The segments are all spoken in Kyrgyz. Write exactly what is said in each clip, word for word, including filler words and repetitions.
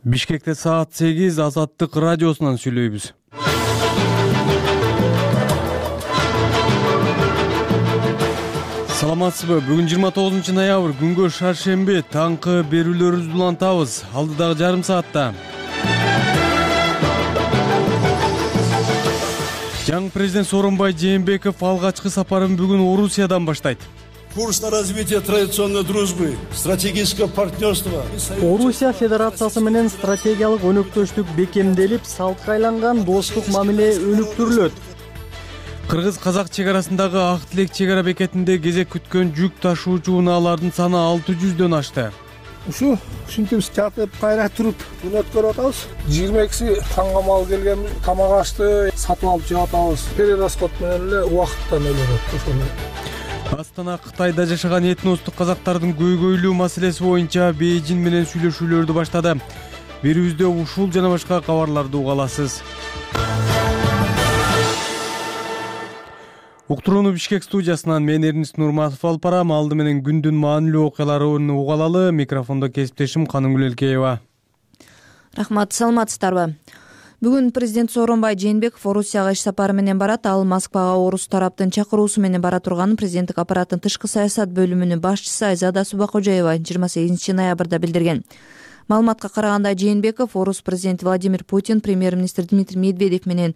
Бишкекте саат сегиз Азаттык радиосунан сүйлөйбүз. Саламатсызбы? Бүгүн жыйырма тогузунчу ноябрь, күнгө шаршемби, таңкы берүүлөрүбүздү улантабыз. Алдыдагы жарым саатта жаңы президент Сооронбай Жээнбеков алгачкы сапарын бүгүн Орусиядан баштайт. Курс на развитие традиционной дружбы, стратегического партнерства. Орусия Федерациясы менен стратегиялык өнөктөштүк бекемделип, салтка айланган достук мамиле өнүктүрүлөт. Кыргыз-казак чек арасындагы Ак Тилек чек ара бекетинде кезек күткөн жүк ташуучу унаалардын саны алты жүздөн ашты. Ушу ушинтип жатып, кайра туруп күн өткөрүп атабыз. жыйырма экиси таңга мал келген, тамак ашты, сатып алып жеп атабыз. Перерасход менен эле убакыттан өлөт ошону. Астана Кытайда жашаган этностук казактардын көйгөйлүү маселеси боюнча Бейжин менен сүйлөшүүлөрдү баштады. Берүүбүздө ушул жана башка кабарларды уга аласыз. Уктурууну Бишкек студиясынан мен Эрнист Нурматов алып барам. Алды менен күндүн маанилүү окуяларын уга алалы. Микрофондо кесиптешим Каныгүл Элкеева. Рахмат, саламатсыздарбы? Бүгүн президент Сооронбай Жээнбеков Орусияга иш сапары менен барат. Ал Москвага орус тараптын чакыруусу менен бара турганын президенттик аппараттын тышкы саясат бөлүмүнүн башчысы Айзада Субакожаева жыйырма сегизинчи ноябрда билдирген. Маалыматка караганда Жээнбеков орус президенти Владимир Путин, премьер-министр Дмитрий Медведев менен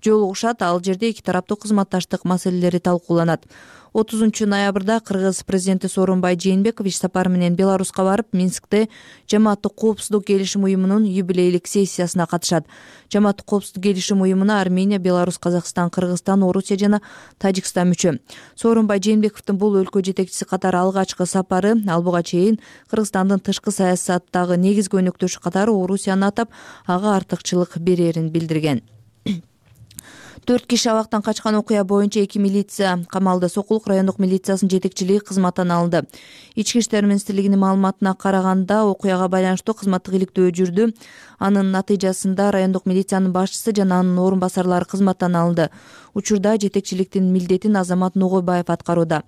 жолугушат. Ал жерде эки тараптуу кызматташтык маселелери талкууланат. отузунчу ноябрда Кыргыз президенти Сооронбай Жээнбеков иш сапары менен Беларуска барып, Минскте Жамааттык коопсуздук келишим уюмунун юбилейлик сессиясына катышат. Жамааттык коопсуздук келишим уюмуна Армения, Беларусь, Казакстан, Кыргызстан, Орусия жана Тажикстан мүчө. Сооронбай Жээнбековдун бул өлкө жетекчиси катары алгачкы сапары. Ал буга чейин Кыргызстандын тышкы саясаттагы негизги өнөктөшү катары Орусияны атап, ага артыкчылык берерин билдирген. Төрт киши абактан качкан окуя боюнча эки милиция камалды. Сокулук райондук милициясынын жетекчилиги кызматтан алынды. Ички иштер министрлигинин маалыматына караганда, окуяга байланыштуу кызматтык иликтөө жүрдү. Анын натыйжасында райондук милициянын башчысы жана анын орун басарлары кызматтан алынды. Учурда жетекчиликтин милдетин Азамат Ногойбаев аткарууда.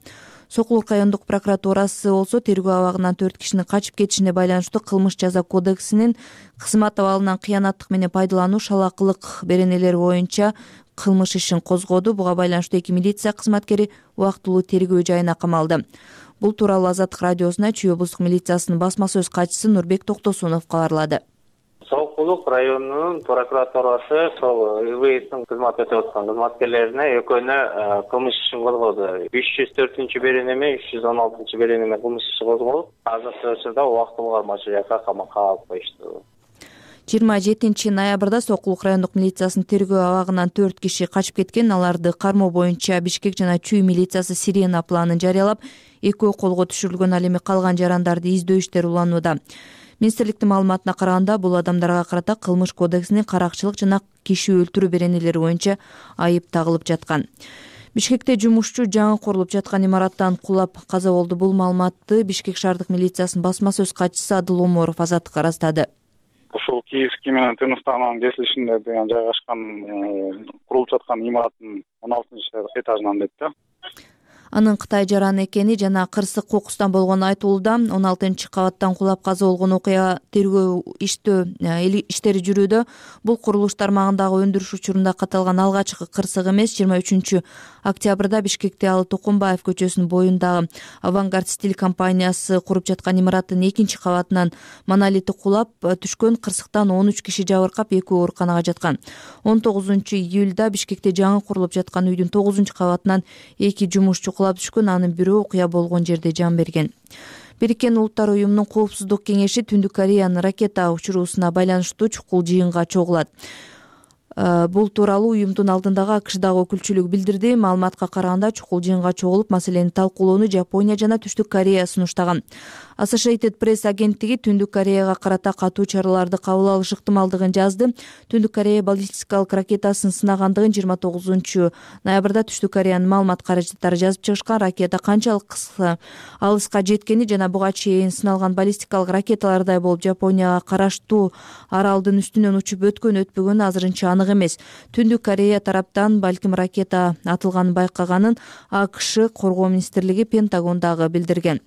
Сокулук райондук прокуратурасы болсо тергөө абагынан төрт кишинин качып кетишине байланыштуу кылмыш жаза кодексинин кызмат абалынан кыянаттык менен пайдалануу, шалакылык беренелери боюнча кылмыш ишин козгоду. Буга байланыштуу эки милиция кызматкери убактылуу тергөө жайына камалды. Бул тууралуу Азаттык радиосуна Чүй облустук милициясынын басма сөз катчысы Нурбек Токтосунов кабарлады. Сокулук районунун прокуратурасы сол ИВСтин кызмат өтөп аткан кызматкерлерине экөөнө кылмыш ишин козгоду. үч жүз төртүнчү беренеме, үч жүз он алтынчы беренеме кылмыш иши козголуп, азыркы учурда убактылуу кармалчу жакка камакка алып коюшту. жыйырма жетинчи ноябрда Сокулук райондук милициясынын тергөө абагынан төрт киши качып кеткен. Аларды кармоо боюнча Бишкек жана Чүй милициясы Сирена планын жарыялап, экөө колго түшүрүлгөн. Ал эми калган жарандарды издөө иштери уланууда. Министрликтин маалыматына караганда, бул адамдарга карата кылмыш кодексинин каракчылык жана киши өлтүрүү беренелери боюнча айып тагылып жаткан. Бишкекте жумушчу жаңы курулуп жаткан имараттан кулап каза болду. Бул маалыматты Бишкек шаардык милициясынын басма сөз катчысы Адыл Оморов Азаттыкка ырастады. Ушул Киевский менен Тыныштаган кесилишинде деген жайгашкан курулуп жаткан имараттын он алтынчы этажынан дейт да. Анын Кытай жараны экени жана кырсык кокустан болгону айтылууда. он алтынчы кабаттан кулап каза болгон окуя тергөө иштөө иштери жүрүүдө. Бул курулуш тармагындагы өндүрүш учурунда катталган алгачкы кырсык эмес. жыйырма үчүнчү октябрда Бишкекте Алы Токомбаев көчөсүнүн боюндагы Авангард стиль компаниясы куруп жаткан имараттын экинчи кабатынан монолити кулап түшкөн. Кырсыктан он үч киши жабыркап, экөө ооруканага жаткан. он тогузунчу июлда Бишкекте жаңы курулуп жаткан үйдүн тогузунчу кабатынан эки жумушчу кулап түшкөн. Анын бирөө окуя болгон жерде жан берген. Бириккен Улуттар уюмунун коопсуздук кеңеши Түндүк Кореянын ракета учуруусуна байланыштуу чукул жыйынга чогулат. Бул тууралуу уюмдун алдындагы АКШдагы өкүлчүлүк билдирди. Маалыматка караганда, чукул жыйынга чогулуп, маселени талкуулоону Жапония жана Түштүк Корея сунуштаган. Associated Press агенттиги Түндүк Кореяга карата катуу чараларды кабыл алыш ыктымалдыгын жазды. Түндүк Корея баллистикалык ракетасын сынагандыгын жыйырма тогузунчу ноябрда Түштүк Кореянын маалымат каражаттары жазып чыгышкан. Ракета канчалык кыска алыска жеткени жана буга чейин сыналган баллистикалык ракеталардай болуп Жапонияга караштуу аралдын үстүнөн учуп өткөн өтпөгөнү азырынча анык эмес. Түндүк Корея тараптан балким ракета атылганын байкаганын АКШ коргоо министрлиги Пентагондагы билдирген.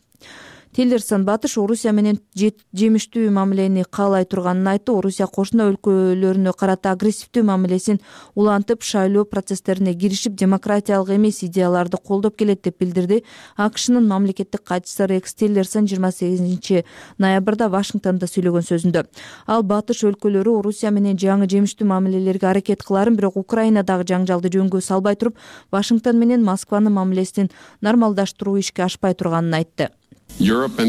Тиллерсон батыш Орусия менен жемиштүү мамилени каалай турганын айтты. Орусия кошуна өлкөлөрүнө карата агрессивдүү мамилесин улантып, шайлоо процесстерине киришип, демократиялык эмес идеяларды колдоп келет деп билдирди. АКШнын мамлекеттик катчысы Рекс Тиллерсон жыйырма сегизинчи ноябрда Вашингтондо сүйлөгөн сөзүндө ал батыш өлкөлөрү Орусия менен жаңы жемиштүү мамилелерге аракет кыларын, бирок Украинадагы жаңжалды жөнгө салбай туруп, Вашингтон менен Москванын мамилесин нормалдаштыруу ишке ашпай турганын айтты. Европа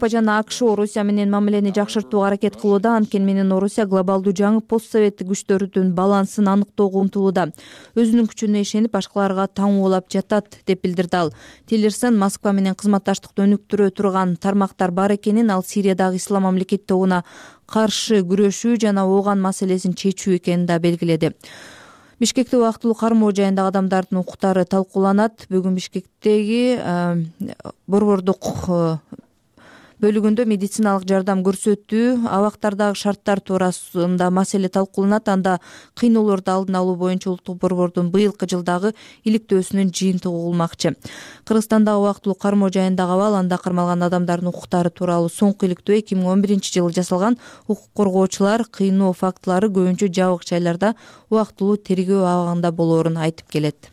жана АКШ Орусия менен мамилени жакшыртууга аракет кылууда, анткени менен Орусия глобалдуу жаңы постсоветтик күчтөрдүн балансын аныктоого умтулууда. Өзүнүн күчүнө ишенип, башкаларга таңуулап жатат деп билдирди ал. Тиллерсон Москва менен кызматташтыкты өнүктүрө турган тармактар бар экенин, ал Сириядагы ислам мамлекет тобуна каршы күрөшүү жана ооган маселесин чечүү экенин да белгиледи. Бишкекте убактылуу кармоо жайындагы адамдардын укуктары талкууланат. Бүгүн Бишкектеги борбордук бөлүгүндө медициналык жардам көрсөтүү, абактардагы шарттар туурасында маселе талкууланат. Анда кыйноолорду алдын алуу боюнча улуттук борбордун быйылкы жылдагы иликтөөсүнүн жыйынтыгы болмакчы. Кыргызстандагы убактылуу кармоо жайындагы абал, анда кармалган адамдардын укуктары тууралуу соңку иликтөө эки миң он биринчи жылы жасалган. Укук коргоочулар кыйноо фактылары көбүнчө жабык жайларда убактылуу тергөө абагында болоорун айтып келет.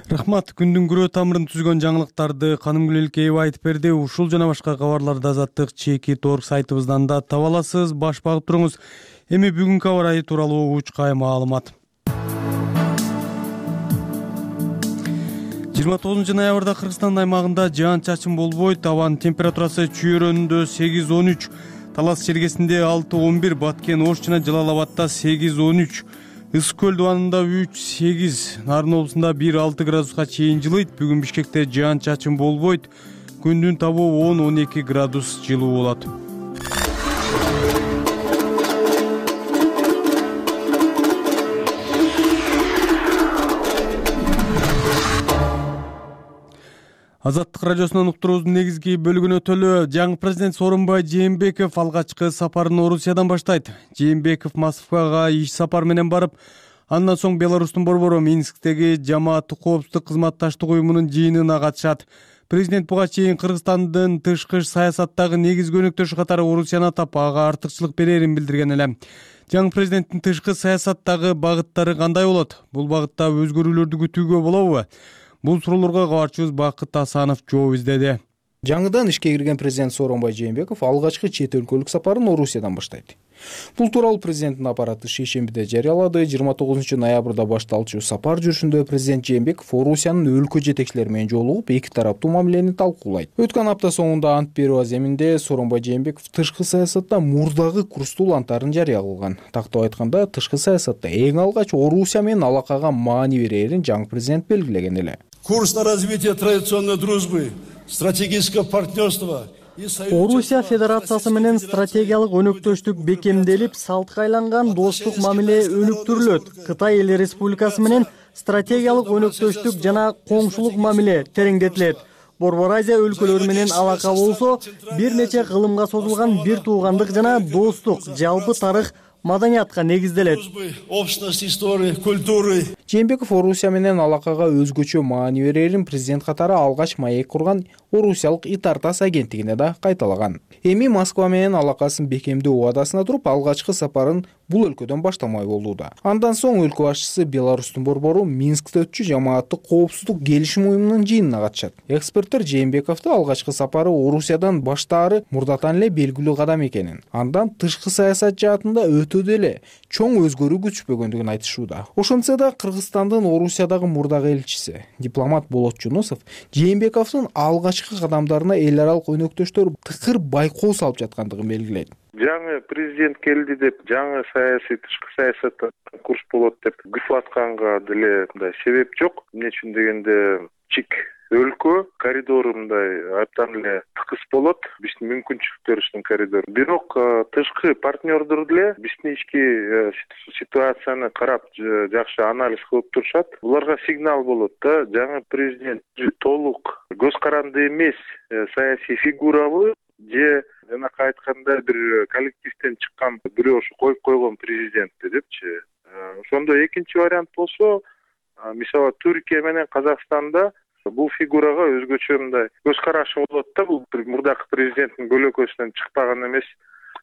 Рахмат. Күндүн күрөө тамырын түзгөн жаңылыктарды Канымгүл Элкеева айтып берди. Ушул жана башка кабарларды Азаттык чекит орг сайтыбыздан да таба аласыз. Баш багып туруңуз. Эми бүгүнкү аба ырайы тууралуу учкай маалымат. жыйырма тогузунчу ноябрда Кыргызстан аймагында жаан-чачын болбойт. Абанын температурасы Чүйөрөнүндө сегиз он үч, Талас чергесинде алты он бир, Баткен, Ош жана Жалал Абадта сегиз он үч, Ысык көл дубанында үч сегиз, Нарын облусунда бир алты градуска чейин жылыйт. Бүгүн Бишкекте жаан-чачын болбойт. Күндүн табуу он он эки градус жылуу болот. Азаттык радиосунун уктуруубуздун негизги бөлүгүнө өтөлү. Жаңы президент Сооронбай Жээнбеков алгачкы сапарын Орусиядан баштайт. Жээнбеков Москвага иш сапар менен барып, андан соң Беларустун борбору Минсктеги Жамааттык коопсуздук кызматташтык уюмунун жыйынына катышат. Президент буга чейин Кыргызстандын тышкы саясаттагы негизги өнөктөшү катары Орусияны атап, ага артыкчылык берерин билдирген эле. Жаңы президенттин тышкы саясаттагы багыттары кандай болот? Бул багытта өзгөрүүлөрдү күтүүгө болобу? Бул суроолорго кабарчыбыз Бакыт Асанов жооп издеди. Жаңыдан ишке кирген президент Сооронбай Жээнбеков алгачкы чет өлкөлүк сапарын Орусиядан баштайт. Бул тууралуу президенттин аппараты шейшембиде жарыялады. жыйырма тогузунчу ноябрда башталчу сапар жүрүшүндө президент Жээнбеков Орусиянын өлкө жетекчилери менен жолугуп, эки тараптуу мамилени талкуулайт. Өткөн апта соңунда ант берүү аземинде Сооронбай Жээнбеков тышкы саясатта мурдагы курстуу антарын жарыя кылган. Тактап айтканда, тышкы саясатта эң алгач Орусия менен алакага маани берерин жаңы президент белгилеген эле. Курс на развитие традиционной дружбы, стратегического партнерства. Орусия Федерациясы менен стратегиялык өнөктөштүк бекемделип, салтка айланган достук мамиле өнүктүрүлөт. Кытай Эл Республикасы менен стратегиялык өнөктөштүк жана коңшулук мамиле тереңдетилет. Борбор Азия өлкөлөрү менен алака болсо, бир нече кылымга созулган бир туугандык жана достук, жалпы тарых, маданиятка негизделет. Общность истории, культуры. Жээнбеков Орусия менен алакага өзгөчө маани берерин президент катары алгач маек курган Орусиялык Итартас агенттигине да кайталаган. Эми Москва менен алакасын бекемдөө убадасына туруп, алгачкы сапарын бул өлкөдөн баштамай болууда. Андан соң өлкө башчысы Беларустун борбору Минскте өтчү Жамааттык коопсуздук келишим уюмунун жыйынына катышат. Эксперттер Жээнбековду алгачкы сапары Орусиядан баштаары мурдатан эле белгилүү кадам экенин, андан тышкы саясат жаатында өтө деле чоң өзгөрүү күтүшпөгөндүгүн айтышууда. Ошентсе да Кыргызстандын Орусиядагы мурдагы элчиси, дипломат Болот Жунусов Жээнбековдун алгачкы кадамдарына эл аралык өнөктөштөр тыкыр байкоо салып жаткандыгын белгилейт. Жаңы президент келди деп, жаңы саясий тышкы саясатта курс болот деп күтүп атканга деле мындай себеп жок. Эмне үчүн дегенде, чик өлкө коридору мындай абдан эле тыкыз болот, биздин мүмкүнчүлүктөрүбүздүн коридору. Бирок тышкы партнердор деле биздин ички ситуацияны карап жакшы анализ кылып турушат. Буларга сигнал болот да, жаңы президент толук көз каранды эмес саясий фигурабы же жанакы айтканда бир коллективден чыккан бирөө ушу коюп койгон президентти депчи. Ошондо экинчи вариант болсо, мисалы Түркия менен Казакстанда Бул фигурага өзгөчө мындай көз карашы болот да. Бул мурдакы президенттин көлөкөсүнөн чыкпаган эмес,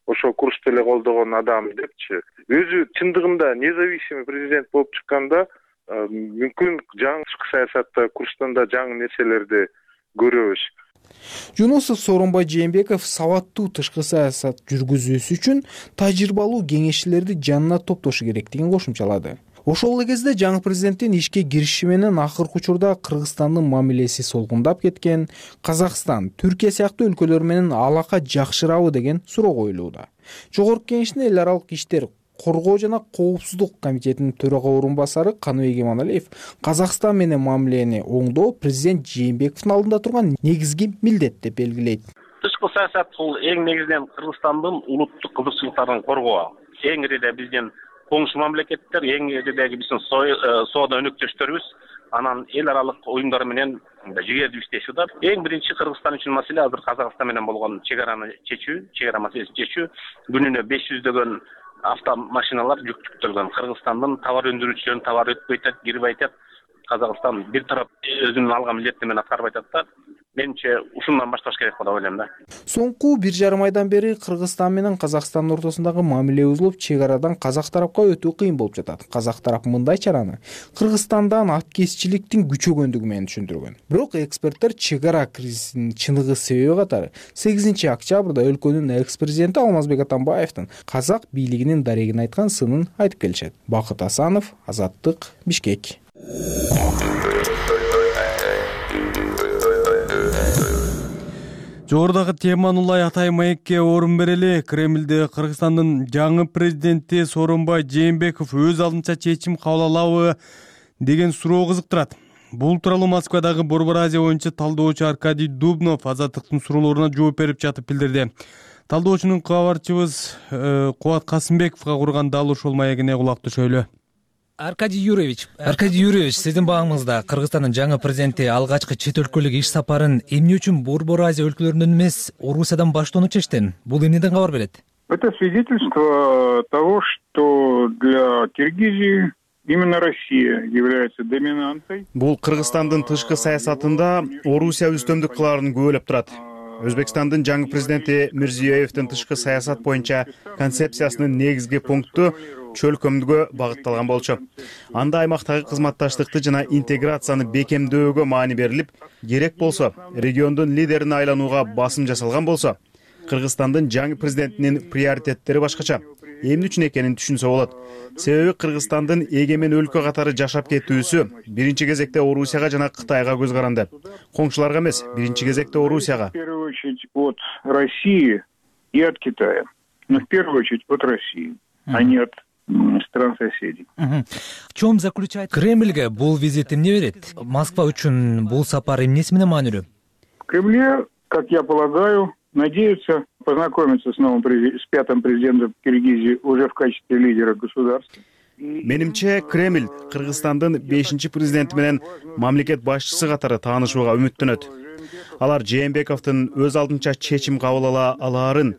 ошол курсту эле колдогон адам депчи. Өзү чындыгында независимый президент болуп чыкканда мүмкүн жаңы тышкы саясатта курстан да жаңы нерселерди көрөбүз. Жунусов Сооронбай Жээнбеков сабаттуу тышкы саясат жүргүзүүсү үчүн тажрыйбалуу кеңешчилерди жанына топтошу керектигин кошумчалады. Ошол эле кезде жаңы президенттин ишке кириши менен акыркы учурда Кыргызстандын мамилеси солгундап кеткен, Казакстан, Түркия сыяктуу өлкөлөр менен алака жакшырабы деген суроо коюлууда. Жогорку Кеңештин эл аралык иштер коргоо жана коопсуздук комитетинин төрага орун басары Каныбек Иманалиев Казакстан менен мамилени оңдоо президент Жээнбековдун алдында турган негизги милдет деп белгилейт. Тышкы саясат бул эң негизинен Кыргызстандын улуттук кызыкчылыктарын коргоо. Эң ириде биздин коңшу мамлекеттер, эң иридеги биздин соода өнөктөштөрүбүз, анан эл аралык уюмдар менен жигердүү иштеши бар. Эң биринчи Кыргызстан үчүн маселе азыр Казакстан менен болгон чек араны чечүү, чек ара маселесин чечүү. Күнүнө беш жүздөгөн автомашиналар жүктөлгөн. Кыргызстандын товар өндүрүүчүлөрүнүн товары өтпөй атат, кирбей атат. Казакстан бир тарап өзүнүн алган милдеттин аткарбай атат да. Менимче ушундан башташ керек деп ойлойм да. Соңку бир жарым айдан бери Кыргызстан менен Казакстандын ортосундагы мамиле бузулуп, чек арадан казак тарапка өтүү кыйын болуп жатат. Казак тарап мындай чараны Кыргызстандан аткезчиликтин күчөгөндүгү менен түшүндүргөн. Бирок эксперттер чек ара кризисинин чыныгы себеби катары сегизинчи октябрда өлкөнүн экс-президенти Алмазбек Атамбаевдин казак бийлигинин дарегин айткан сынын айтып келишет. Бакыт Асанов, Азаттык, Бишкек. Жогорудагы теманы улай атай маекке орун берели. Кремлде Кыргызстандын жаңы президенти Сооронбай Жээнбеков өз алдынча чечим кабыл алабы деген суроо кызыктырат. Бул тууралуу Москвадагы Борбор Азия боюнча талдоочу Аркадий Дубнов Азаттыктын суроолоруна жооп берип жатып билдирди. Талдоочунун кабарчыбыз Кубат Касымбековго курган дал ушул маегине кулак түшөлү. Аркадий Юрьевич, Аркадий Юрьевич, сиздин багыңызда Кыргызстандын жаңы президенти алгачкы чет өлкөлүк иш сапарын эмне үчүн Борбор Азия өлкөлөрүнөн эмес, Орусиядан баштоону чечтин? Бул эмнеден кабар берет? Это свидетельство того, что для Киргизии именно Россия является доминантой. Бул Кыргызстандын тышкы саясатында Орусия үстөмдүк кылаарын күбөлөп турат. Өзбекстандын жаңы президенти Мирзиёевдин тышкы саясат боюнча концепциясынын негизги пункту чөлкөмдүгө багытталган болчу. Анда аймактагы кызматташтыкты жана интеграцияны бекемдөөгө маани берилип, керек болсо региондун лидерине айланууга басым жасалган болсо, Кыргызстандын жаңы президентинин приоритеттери башкача. Эмне үчүн экенин түшүнсө болот. Себеби Кыргызстандын эгемен өлкө катары жашап кетүүсү биринчи кезекте Орусияга жана Кытайга көз каранды. Коңшуларга эмес, биринчи кезекте Орусияга. В первую очередь от России и от Китая. Но в первую очередь от России, а не от стран соседей. В чем заключается Кремльге бул визит эмне берет? Москва үчүн бул сапар эмнеси менен маанилүү? В Кремле, как я полагаю, надеются познакомиться с новым с пятым президентом Киргизии уже в качестве лидера государства. Менимче Кремль Кыргызстандын бешинчи президенти менен мамлекет башчысы катары таанышууга үмүттөнөт. Алар Жээнбековдун өз алдынча чечим кабыл ала алаарын,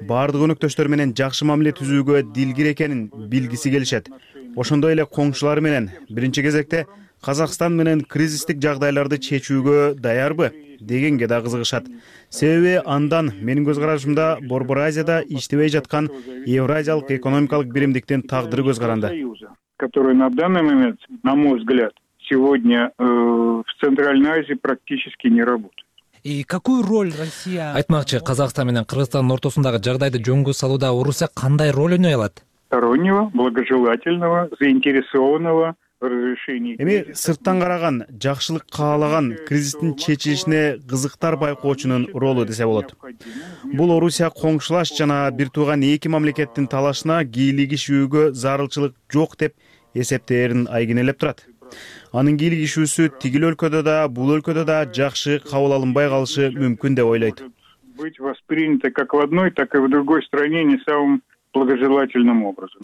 бардык өнөктөштөр менен жакшы мамиле түзүүгө дилгир экенин билгиси келишет. Ошондой эле коңшулары менен биринчи кезекте Казакстан менен кризистик жагдайларды чечүүгө даярбы дегенге да кызыгышат. Себеби андан менин көз карашымда Борбор Азияда иштебей жаткан Евразиялык экономикалык биримдиктин тагдыры көз каранды. Который на данный момент, на мой взгляд, сегодня э, в Центральной Азии практически не работает. И какую роль Россия... Айтмакчы, Казакстан менен Кыргызстандын ортосундагы жагдайды жөнгө салууда Орусия кандай роль ойной алат? Стороннего, благожелательного, заинтересованного разрешения. Эми сырттан караган, жакшылык каалаган кризистин чечилишине кызыктар байкоочунун ролу десе болот. Бул Орусия коңшулаш жана бир тууган эки мамлекеттин талашына кийлигишүүгө зарылчылык жок деп эсептээрин айгинелеп турат. Анын кийлигишүүсү тигил өлкөдө да, бул өлкөдө да жакшы кабыл алынбай калышы мүмкүн деп ойлойт. Быть воспринято как в одной, так и в другой стране не самым благожелательным образом.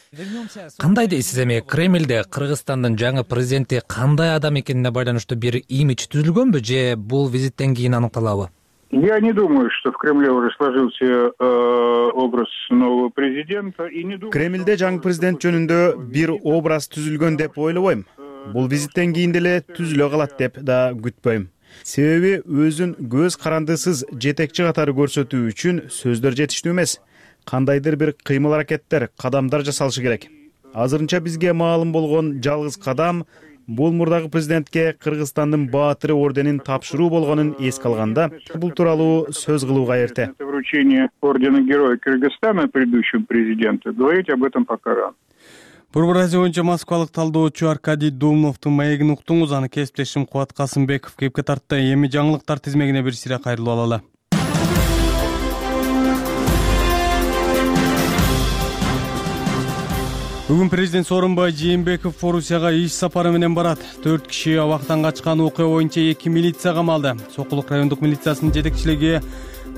Кандай дейсиз эми Кремлде Кыргызстандын жаңы президенти кандай адам экенине байланыштуу бир имидж түзүлгөнбү же бул визиттен кийин аныкталабы? Я не думаю, что в Кремле уже сложился э, образ нового президента и не думаю. Кремлде жаңы президент жөнүндө бир образ түзүлгөн деп ойлобойм. Бул визиттен кийин деле түзүлө калат деп да күтпөйм. себеби өзүн көз карандысыз жетекчи катары көрсөтүү үчүн сөздөр жетиштүү эмес. Кандайдыр бир кыймыл аракеттер, кадамдар жасалышы керек. Азырынча бизге маалым болгон жалгыз кадам бул мурдагы президентке Кыргызстандын баатыры орденин тапшыруу болгонун эске алганда, бул тууралуу сөз кылууга эрте. Вручение ордена Героя Кыргызстана предыдущему президенту говорить об этом пока рано. Борбор Азия боюнча Москвалык талдоочу Аркадий Думновдун маегин уктуңуз. Аны кесиптешим Кубат Касымбеков кепке тартты. Эми жаңылыктар тизмегине бир сире кайрылып алалы. Бүгүн президент Сооронбай Жээнбеков Орусияга иш сапары менен барат. Төрт киши абактан качкан окуя боюнча эки милиция камалды. Сокулук райондук милициясынын жетекчилиги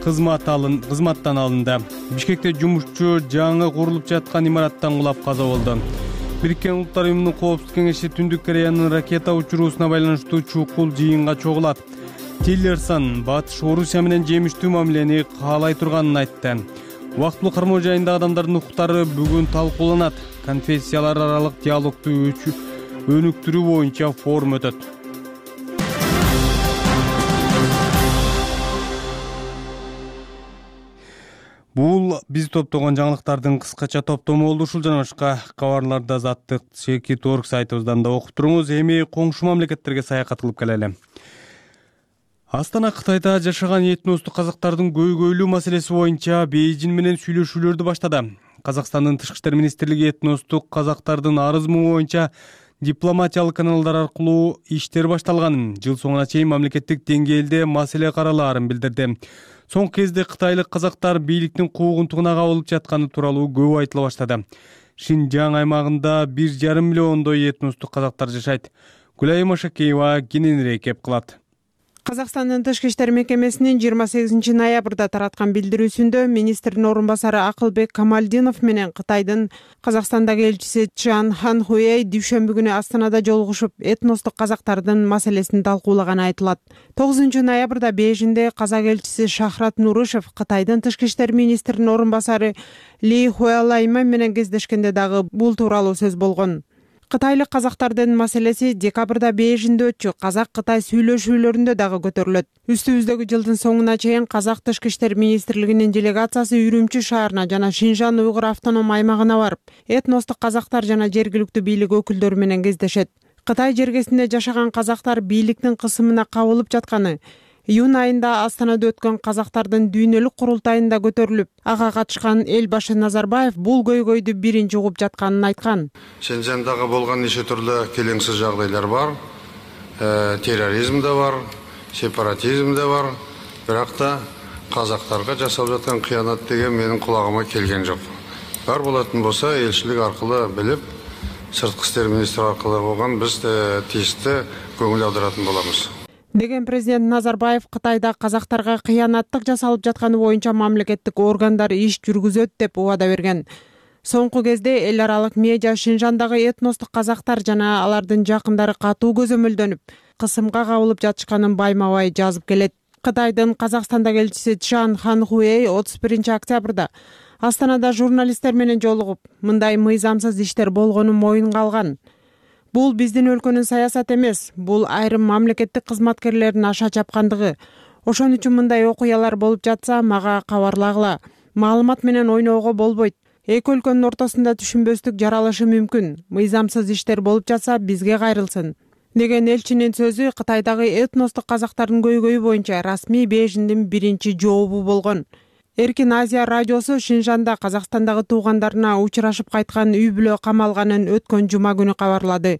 кызмат алын кызматтан алынды. Бишкекте жумушчу жаңы курулуп жаткан имараттан кулап каза болду. Бириккен Улуттар уюмунун коопсуздук кеңеши Түндүк Кореянын ракета учуруусуна байланыштуу чукул жыйынга чогулат. Тиллерсон Батыш Орусия менен жемиштүү мамилени каалай турганын айтты. Убактылуу кармоо жайында адамдардын укуктары бүгүн талкууланат. Конфессиялар аралык диалогду өнүктүрүү боюнча форум өтөт. Бул биз топтогон жаңылыктардын кыскача топтому болду. Ушул жана башка кабарларды Азаттык Чекит орг сайтыбыздан да окуп туруңуз. Эми коңшу мамлекеттерге саякат кылып келели. Астана Кытайда жашаган этностук казактардын көйгөйлүү маселеси боюнча Бейжин менен сүйлөшүүлөрдү баштады. Казакстандын тышкы иштер министрлиги этностук казактардын арызмы боюнча дипломатиялык каналдар аркылуу иштер башталганын, жыл соңуна чейин мамлекеттик деңгээлде маселе каралаарын билдирди. Соңку кезде кытайлык казактар бийликтин куугунтугуна кабылып жатканы тууралуу көп айтыла баштады. Шинжаң аймагында бир жарым миллиондой этностук казактар жашайт. Гүлай Машакеева кененирээк кеп кылат. Казакстандын тышкы иштер мекемесинин жыйырма сегизинчи ноябрда тараткан билдирүүсүндө министрдин орун басары Акылбек Камалдинов менен Кытайдын Казакстандагы элчиси Чжан Ханхуэй дүйшөмбү күнү Астанада жолугушуп, этностук казактардын маселесин талкуулаганы айтылат. тогузунчу ноябрда Бейжинде казак элчиси Шахрат Нурышев Кытайдын тышкы иштер министринин орун басары Ли Хуэлайма менен кездешкенде дагы бул тууралуу сөз болгон. Кытайлык казактардын маселеси декабрда Бейжинде өтчү казак-кытай сүйлөшүүлөрүндө дагы көтөрүлөт. Үстүбүздөгү жылдын соңуна чейин казак тышкы иштер министрлигинин делегациясы Үрүмчү шаарына жана Шинжан уйгур автоном аймагына барып, этностук казактар жана жергиликтүү бийлик өкүлдөрү менен кездешет. Кытай жергесинде жашаган казактар бийликтин кысымына кабылып жатканы, июнь айында Астанада өткөн казактардын дүйнөлүк курултайында көтөрүлүп, ага катышкан эл башы Назарбаев бул көйгөйдү биринчи угуп жатканын айткан. Шинжандагы болгон нече түрлүү келеңсиз жагдайлар бар. Э, терроризм да бар, сепаратизм да бар. Бирок да казактарга жасалып жаткан кыянат деген менин кулагыма келген жок. Бар болатын болсо элчилик аркылуу билип, сырткы иштер министри аркылуу болгон биз тийиштүү көңүл аударатын болобуз. Деген президент Назарбаев Кытайда казактарга кыянаттык жасалып жатканы боюнча мамлекеттик органдар иш жүргүзөт деп убада берген. Соңку кезде эл аралык медиа Шинжандагы этностук казактар жана алардын жакындары катуу көзөмөлдөнүп, кысымга кабылып жатышканын байма-бай жазып келет. Кытайдын Казакстандагы элчиси Чжан Ханхуэй отуз биринчи октябрда Астанада журналисттер менен жолугуп, мындай мыйзамсыз иштер болгонун моюнга алган. Бул биздин өлкөнүн саясаты эмес, бул айрым мамлекеттик кызматкерлердин аша чапкандыгы. Ошон үчүн мындай окуялар болуп жатса, мага кабарлагыла. Маалымат менен ойноого болбойт. Эки өлкөнүн ортосунда түшүнбөстүк жаралышы мүмкүн. Мыйзамсыз иштер болуп жатса, бизге кайрылсын. Деген элчинин сөзү Кытайдагы этностук казактардын көйгөйү боюнча расмий Бейжиндин биринчи жообу болгон. Эркин Азия радиосу Шинжанда Казакстандагы туугандарына учурашып кайткан үй бүлө камалганын өткөн жума күнү кабарлады.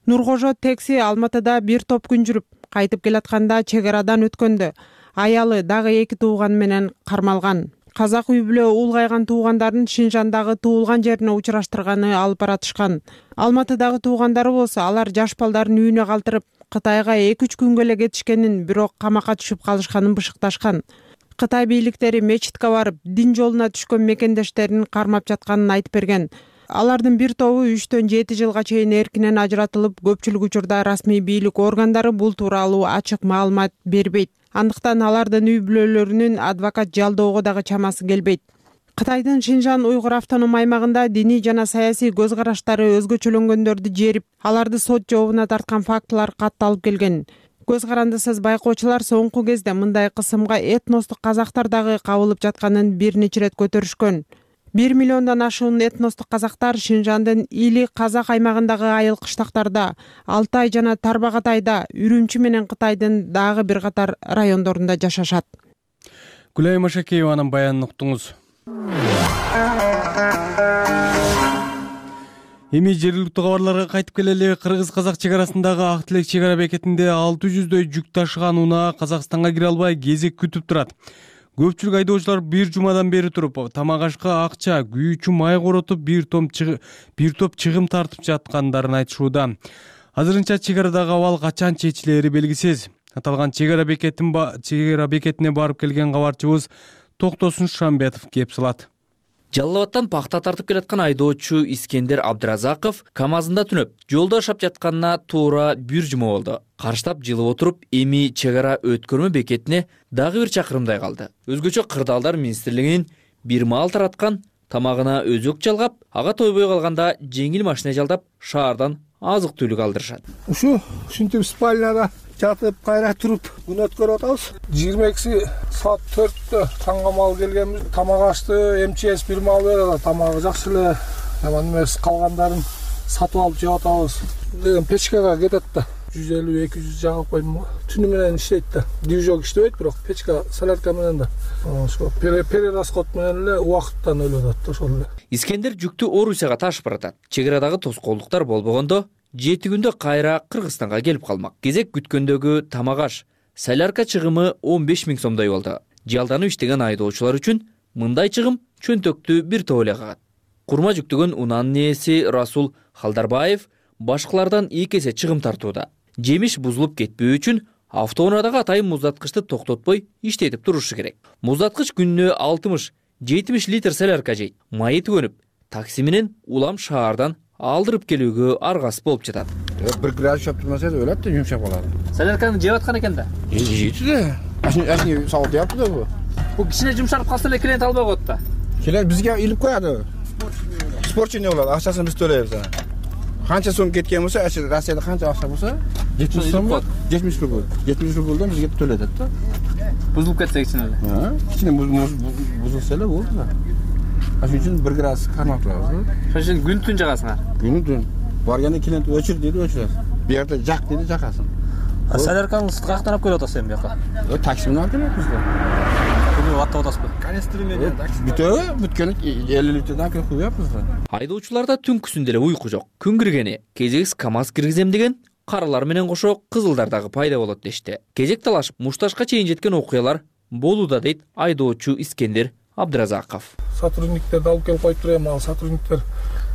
Нуркожо Текси Алматыда бир топ күн жүрүп, кайтып келатканда чек арадан өткөндө аялы дагы эки тууган менен кармалган. Казак үй бүлө улгайган туугандарын Шинжандагы туулган жерине учураштырганы алып баратышкан. Алматыдагы туугандары болсо алар жаш балдарын үйүнө калтырып, Кытайга эки үч күнгө эле кетишкенин, бирок камакка түшүп калышканын бышыкташкан. Кытай бийликтери мечитке барып, дин жолуна түшкөн мекендештерин кармап жатканын айтып берген. Алардын бир тобу үчтөн жети жылга чейин эркинен ажыратылып, көпчүлүк учурда расмий бийлик органдары бул тууралуу ачык маалымат бербейт. Андыктан алардын үй бүлөлөрүнүн адвокат жалдоого дагы чамасы келбейт. Кытайдын Шинжан уйгур автоном аймагында диний жана саясий көз караштары өзгөчөлөнгөндөрдү жерип, аларды сот жообуна тарткан фактылар катталып келген. Көз карандысыз байкоочулар соңку кезде мындай кысымга этностук казактар дагы кабылып жатканын бир нече ирет көтөрүшкөн. бир миллиондон ашуун этностук казактар Шинжандын Или казак аймагындагы айыл кыштактарда, Алтай жана Тарбагатайда, Үрүмчү менен Кытайдын дагы бир катар райондорунда жашашат. Гүлай Машакееванын баянын уктуңуз. Эми жергиликтүү кабарларга кайтып келели. Кыргыз-казак чек арасындагы Ак Тилек чек ара бекетинде алты жүздөй жүк ташыган унаа Казакстанга кире албай кезек күтүп турат. Көпчүлүк айдоочулар бир жумадан бери туруп, тамак ашка акча, күйүүчү май коротуп, бир топ бир топ чыгым тартып жаткандарын айтышууда. Азырынча чек арадагы абал качан чечилери белгисиз. Аталган чек ара бекетин чек ара бекетине барып келген кабарчыбыз Токтосун Шамбетов кеп салат. Жалал Абадтан пахта тартып келаткан айдоочу Искендер Абдыразаков КамАЗында түнөп, жолдо шап жатканына туура бир жума болду. Карштап жылып отуруп, эми чек ара өткөрмө бекетине дагы бир чакырымдай калды. Өзгөчө Кырдаалдар министрлигинин бир маал тараткан тамагына өзөк жалгап, ага тойбой калганда жеңил машина жалдап, шаардан азык-түлүк алдырышат. Ушу ушинтип спальняда жатып, кайра туруп күн өткөрүп атабыз. жыйырма экиси саат төрттө таңга маал келгенбиз. Тамак ашты, МЧС бир маал берет, тамагы жакшы эле. Жаман эмес, калгандарын сатып алып жеп атабыз. Деген печкага кетет да. жүз элүү эки жүз жагып койдум. Түнү менен иштейт да. Движок иштебейт, бирок печка солярка менен да. Ошо перерасход менен эле убакыттан өлөт да, ошол эле. Искендер жүктү Орусияга ташып баратат. Чек арадагы тоскоолдуктар болбогондо жети күндө кайра Кыргызстанга келип калмак. Кезек күткөндөгү тамак аш, солярка чыгымы он беш миң сомдой болду. Жалданып иштеген айдоочулар үчүн мындай чыгым чөнтөктү бир топ эле кагат. Курма жүктөгөн унаанын ээси Расул Халдарбаев башкалардан эки эсе чыгым тартууда. Жемиш бузулуп кетпөө үчүн автоунаадагы атайын муздаткычты токтотпой иштетип турушу керек. Муздаткыч күнүнө алтымыш жетимиш литр солярка жейт. Майы түгөнүп, такси менен улам шаардан алдырып келүүгө аргасыз болуп жатат. Бир градус чөп турмаса өлөт да, жумшап калат. Солярканы жеп аткан экен да. Жейт да. Ашни сауат япты да бу. Бу кичине жумшарып калса эле клиент албай коет да. Клиент бизге илип коёду. Спортчу эмне болот? Акчасын биз төлөйбүз анан. Канча сом кеткен болсо, Россияда канча акча болсо, жетимиш сом, жетимиш рубль. жетимиш рубльдан бизге төлөтөт да. Бузулуп кетсе кичине эле. Ha, кичине бузулса эле болду да. Ошон үчүн бир градус кармап турабыз. Ошон үчүн күн түн жагасыңар. Күн түн. Барганда клиент өчүр дейди, өчүрөт. Бу жерде жак дейди, жакасың. Соляркаңыз каяктан алып келип атасыз эми бияка? Такси менен алып келебиз да. Күнү аттап атасызбы? Канестр менен такси. Бүтө, бүткөн элүү литрден кырк куяппыз да. Айдоочуларда түнкүсүндө эле уйку жок. Күн киргени, кезекс КамАЗ киргизем деген каралар менен кошо кызылдар дагы пайда болот дешти. Кезек талашып, мушташка чейин жеткен окуялар болууда дейт айдоочу Искендер Абдыразаков. Сотрудниктерди алып келип коюп турам, ал сотрудниктер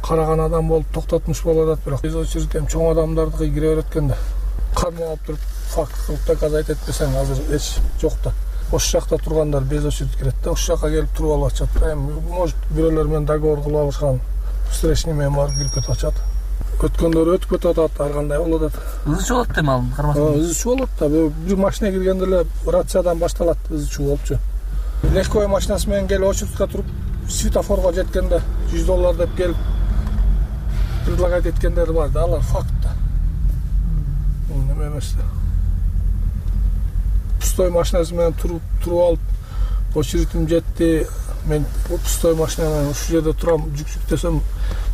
караган адам болуп токтотмуш болуп атат, бирок биз очередем чоң адамдарды кире берет экен да. Кармап туруп факт кылып доказать этпесең азыр эч жок да. Ошол жакта тургандар без очередь кирет да, ошол жака келип туруп алып атышат. Эми может бирөөлөр менен договор кылып алышкан, встречный менен барып кирип кетип атышат. Өткөндөр өтүп кетип атат, ар кандай болуп атат. Ызычуу болот да ал кармасаң. Ызычуу болот да. Бир машина киргенде эле рациядан башталат, ызычуу болупчу. Легковой машинасы менен келип очередке туруп, светофорго жеткенде жүз доллар деп келип предлагать эткендер бар да, алар факт да. Неме эмес да. Пустой машинасы менен туруп туруп алып, очередим жетти, мен пустой машина менен ушул жерде турам, жүк десем,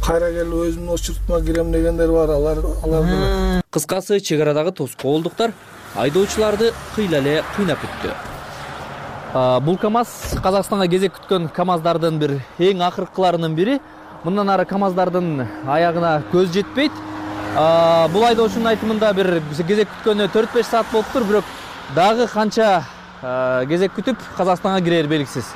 кайра келип өзүмдүн очередиме кирем дегендер бар, алар алар. Кыскасы, чек арадагы тоскоолдуктар айдоочуларды кыйла эле кыйнап өттү. Бул КамАЗ Казакстанга кезек күткөн КамАЗдардын бир эң акыркыларынын бири. Мындан ары КамАЗдардын аягына көз жетпейт. Бул айдоочунун айтымында бир кезек күткөнүнө төрт беш саат болуптур, бирок дагы канча кезек күтүп Казакстанга кирери белгисиз.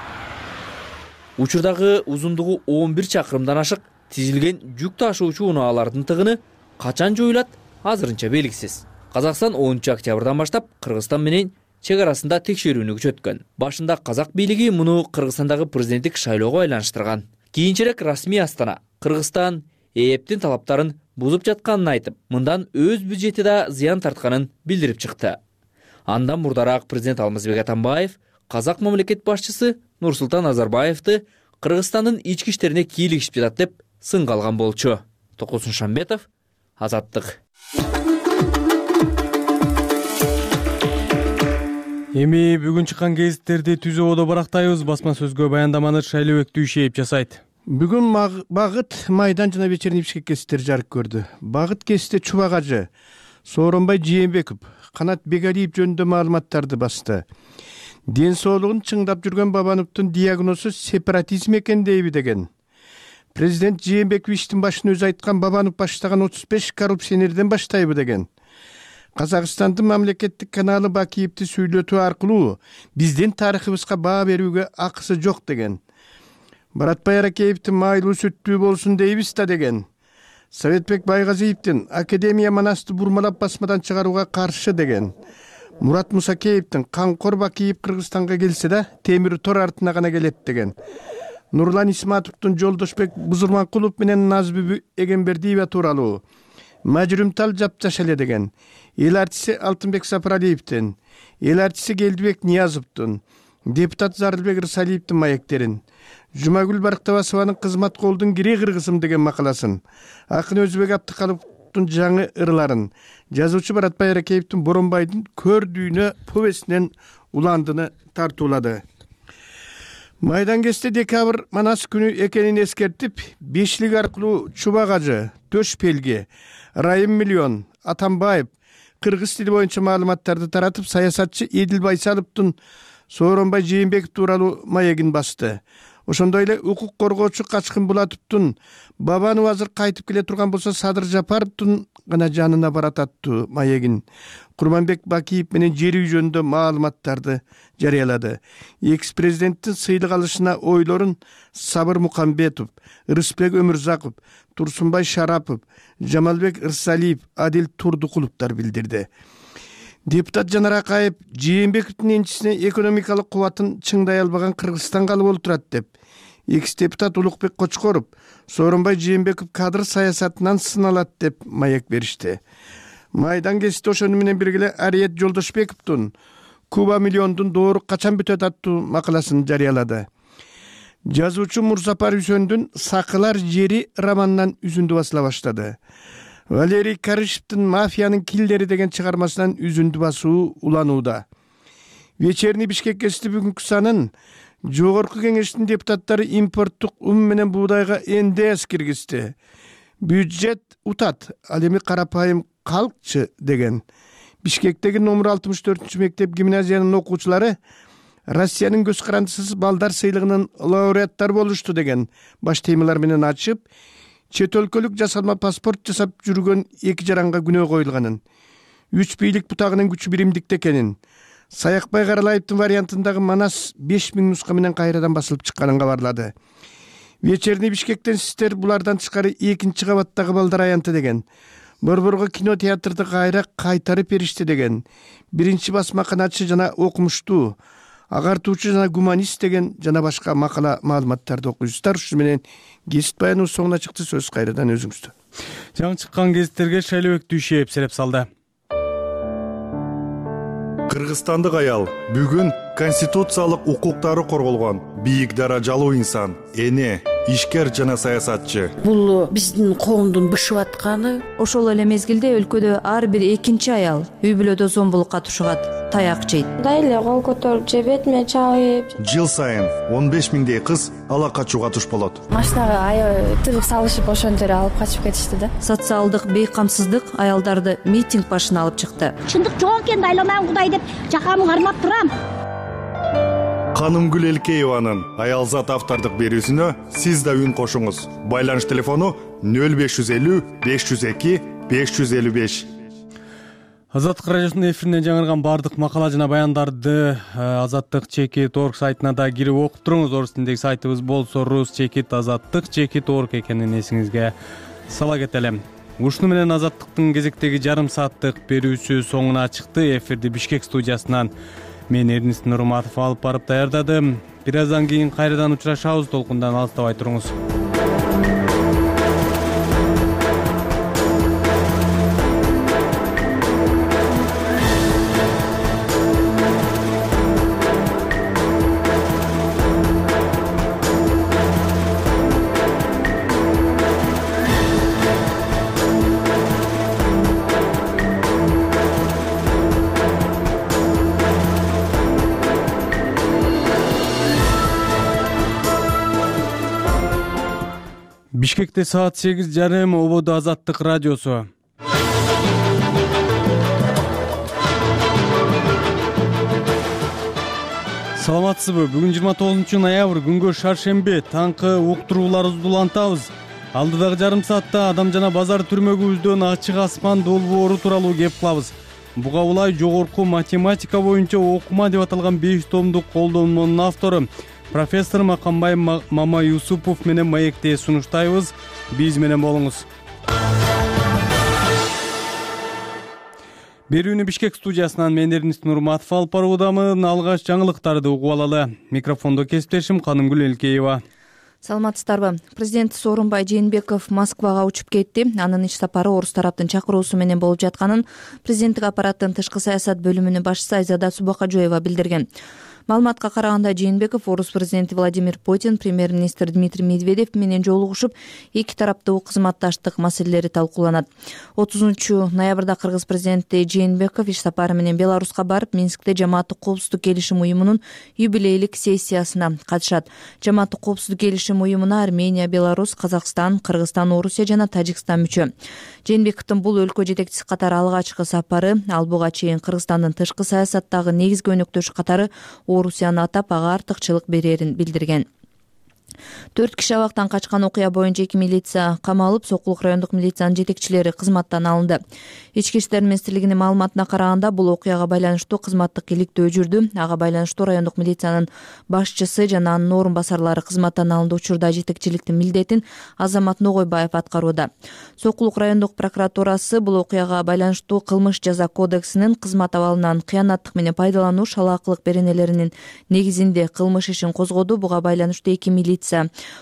Учурдагы узундугу он бир чакырымдан ашык тизилген жүк ташуучу унаалардын тыгыны качан жоюлат азырынча белгисиз. Казакстан онунчу октябрдан баштап Кыргызстан менен чек арасында текшерүүнү күчөткөн. Башында казак бийлиги муну Кыргызстандагы президенттик шайлоого айланыштырган. Кийинчерээк расмий Астана Кыргызстан ээптин талаптарын бузуп жатканын айтып, мындан өз бюджети да зыян тартканын билдирип чыкты. Андан мурдараак президент Алмазбек Атамбаев казак мамлекет башчысы Нурсултан Назарбаевди Кыргызстандын ички иштерине кийлигишип жатат деп сынга алган болчу. Токтосун Шамбетов, Азаттык. Эми бүгүн чыккан гезиттерди түз ободо барактайбыз. Басма сөзгө баяндаманы Шайлообек Дүйшеев жасайт. Бүгүн Багыт Майдан жана Вечерний Бишкек гезиттери жарык көрдү. Багыт гезити Чубак ажы, Сооронбай Жээнбеков, Канат Бегалиев жөнүндө маалыматтарды басты. Ден соолугун чыңдап жүргөн Бабановдун диагнозу сепаратизм экен дейби деген. Президент Жээнбеков иштин башын өзү айткан Бабанов баштаган отуз беш коррупционерден баштайбы деген. Казакстандын мамлекеттик каналы Бакиевди сүйлөтүү аркылуу биздин тарыхыбызга баа берүүгө акысы жок деген. Баратбай Аракеевдин майлуу сүттүү болсун дейбиз да деген. Советбек Байгазиевдин Академия Манасты бурмалап басмадан чыгарууга каршы деген. Мурат Мусакеевдин Канкор Бакиев Кыргызстанга келсе да темир тор артына гана келет деген. Нурлан Исматовдун Жолдошбек Бузурманкулов менен Назбүбү Эгембердиева тууралуу мажрумтал жапжаш эле деген. Эл артиси Алтынбек Сапаралиевдин, эл артиси Келдибек Ниязовдун, депутат Зарылбек Рысалиевдин маектерин, Жумагүл Барктабасованын Кызмат колдун кири кыргызым деген макаласын, акын Өзбек Абдыкаловдун жаңы ырларын, жазуучу Баратбай Аракеевдин Боронбайдын Көр дүйнө повестинен уландыны тартуулады. Майдан гезити декабрь Манас күнү экенин эскертип, бешлик аркылуу Чубак ажы, Төш Пелге, Райым Миллион, Атамбаев кыргыз тили боюнча маалыматтарды таратып, саясатчы Эдил Байсаловдун Сооронбай Жээнбеков тууралуу маегин басты. Ошондой эле укук коргоочу Качкын Булатовдун Бабанов азыр кайтып келе турган болсо Садыр Жапаровдун гана жанына барат аттуу маегин, Курманбек Бакиев менен жер үй жөнүндө маалыматтарды жарыялады. Экс президенттин сыйлык алышына ойлорун Сабыр Мукамбетов, Рыспек Өмүрзаков, Турсунбай Шарапов, Жамалбек Ырсалиев, Адил Турдукуловдор билдирди. Депутат Жанар Акаев Жээнбековдун энчисине экономикалык кубатын чыңдай албаган Кыргызстан калып олтурат деп, экс депутат Улукбек Кочкоров Сооронбай Жээнбеков кадр саясатынан сыналат деп маек беришти. Майдан гезити ошону менен бирге Ариет Жолдошбековдун Куба миллиондун доору качан бүтөт аттуу макаласын жарыялады. Жазуучу Мурзапар Үсөндүн Сакылар жери романынан үзүндү басыла баштады. Валерий Карышевдин Мафиянын килдери деген чыгармасынан үзүндү басуу уланууда. Вечерний Бишкек гезити бүгүнкү санын Жогорку кеңештин депутаттары импорттук ун менен буудайга эн дэ эс киргизди. Бюджет утат, ал эми карапайым калкчы деген. Бишкектеги номер алтымыш төртүнчү мектеп гимназиянын окуучулары Россиянын көз карандысыз балдар сыйлыгынын лауреаттары болушту деген баш темалар менен ачып, чет өлкөлүк жасалма паспорт жасап жүргөн эки жаранга күнөө коюлганын, үч бийлик бутагынын күчү биримдикте экенин, Саякбай Каралаевдин вариантындагы Манас беш миң нуска менен кайрадан басылып чыкканын кабарлады. Вечерний Бишкектен сиздер булардан тышкары экинчи кабаттагы балдар аянты деген. Борборго кинотеатрды кайра кайтарып беришти деген. Биринчи басма канатчы жана окумуштуу, агартуучу жана гуманист деген жана башка макала маалыматтарды окуйсуздар. Ушу менен гезит баянуу соңуна чыкты. Сөз кайрадан өзүңүздө. Жаңы чыккан гезиттерге Шайлообек Дүйшеев сереп салды. Кыргызстандык аял бүгүн конституциялык укуктары корголгон бийик даражалуу инсан, эне, ишкер жана саясатчы. Бул биздин коомдун бышып атканы. Ошол эле мезгилде өлкөдө ар бир экинчи аял үй бүлөдө зомбулукка тушугат, таяк жейт. Мындай эле кол көтөрүп же бетиме чабып. Жыл сайын он беш миңдей кыз ала качууга туш болот. Машинага аябай тыгып салышып ошентип алып качып кетишти да. Социалдык бейкамсыздык аялдарды митинг башына алып чыкты. Чындык жок экен, айланам Кудай деп жакамы кармап турам. Канымгүл Элкееванын аялзат автордук берүүсүнө сиз да үн кошуңуз. Байланыш телефону нөл беш жүз элүү беш жүз эки беш жүз элүү беш. Азаттык радиосунун эфиринен жаңырган бардык макала жана баяндарды Азаттык чекит точка орг сайтына да кирип окуп туруңуз. Орус тилиндеги сайтыбыз болсо рус чекит азаттык чекит точка орг экенин эсиңизге сала кетели. Ушуну менен Азаттыктын кезектеги жарым сааттык берүүсү соңуна чыкты. Эфирди Бишкек студиясынан мен Эрнис Нурматов алып барып даярдадым. Бир аздан кийин кайрадан учурашабыз. Толкундан алыстабай туруңуз. Бишкекте саат сегиз жарым, ободо Азаттык радиосу. Саламатсызбы? Бүгүн жыйырма тогузунчу ноябрь, күнгө шаршемби, таңкы уктурууларыбызды улантабыз. Алдыдагы жарым саатта адам жана базар түрмөгүбүздөн ачык асман долбоору тууралуу кеп кылабыз. Буга улай жогорку математика боюнча окума деп аталган беш томдук колдонмонун автору профессор Макамбай Мама Юсупов менен маекте сунуштайбыз. Биз менен болуңуз. Берүүнү Бишкек студиясынан мен Эрнис Нурматов алып баруудамын. Алгач жаңылыктарды угуп алалы. Микрофондо кесиптешим Канымгүл Элкеева. Саламатсыздарбы? Президент Сооронбай Жээнбеков Москвага учуп кетти. Анын иш сапары орус тараптын чакыруусу менен болуп жатканын президенттик аппараттын тышкы саясат бөлүмүнүн башчысы Айзада Субакажоева билдирген. Маалыматка караганда Жээнбеков орус президенти Владимир Путин, премьер-министр Дмитрий Медведев менен жолугушуп, эки тараптуу кызматташтык маселелери талкууланат. отузунчу ноябрда кыргыз президенти Жээнбеков иш сапары менен Беларуска барып, Минскте Жамааттык коопсуздук келишим уюмунун юбилейлик сессиясына катышат. Жамааттык коопсуздук келишим уюмуна Армения, Беларусь, Казакстан, Кыргызстан, Орусия жана Тажикстан мүчө. Жээнбековдун бул өлкө жетекчиси катары алгачкы сапары, ал буга чейин Кыргызстандын тышкы саясаттагы негизги өнөктөшү катары Орусияны атап, ага артыкчылык берерин билдирген. Төрт киши абактан качкан окуя боюнча эки милиция камалып, Сокулук райондук милициянын жетекчилери кызматтан алынды. Ички иштер министрлигинин маалыматына караганда, бул окуяга байланыштуу кызматтык иликтөө жүрдү. Ага байланыштуу райондук милициянын башчысы жана анын орун басарлары кызматтан алынды. Учурда жетекчиликтин милдетин Азамат Ногойбаев аткарууда. Сокулук райондук прокуратурасы бул окуяга байланыштуу кылмыш жаза кодексинин кызмат абалынан кыянаттык менен пайдалануу, шалаакылык беренелеринин негизинде кылмыш ишин козгоду. Буга байланыштуу эки милиция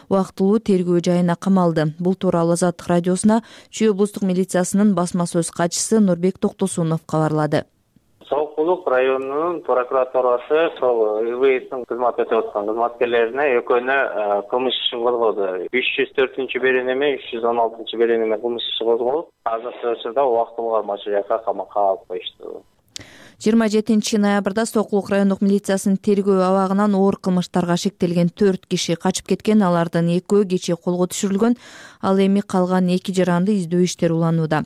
убактылуу тергөө жайына камалды. Бул тууралуу Азаттык радиосуна Чүй облустук милициясынын басма сөз катчысы Нурбек Токтосунов кабарлады. Сокулук районунун прокуратурасы сол ИВСтин кызмат өтөп аткан кызматкерлерине экөөнө кылмыш ишин козгоду. үч жүз төртүнчү беренеме, үч жүз он алтынчы беренеме кылмыш иши козголуп, азыркы учурда убактылуу кармалчу жакка камакка алып коюшту. жыйырма жетинчи ноябрда Сокулук райондук милициясынын тергөө абагынан оор кылмыштарга шектелген төрт киши качып кеткен. Алардын экөө кечээ колго түшүрүлгөн, ал эми калган эки жаранды издөө иштери уланууда.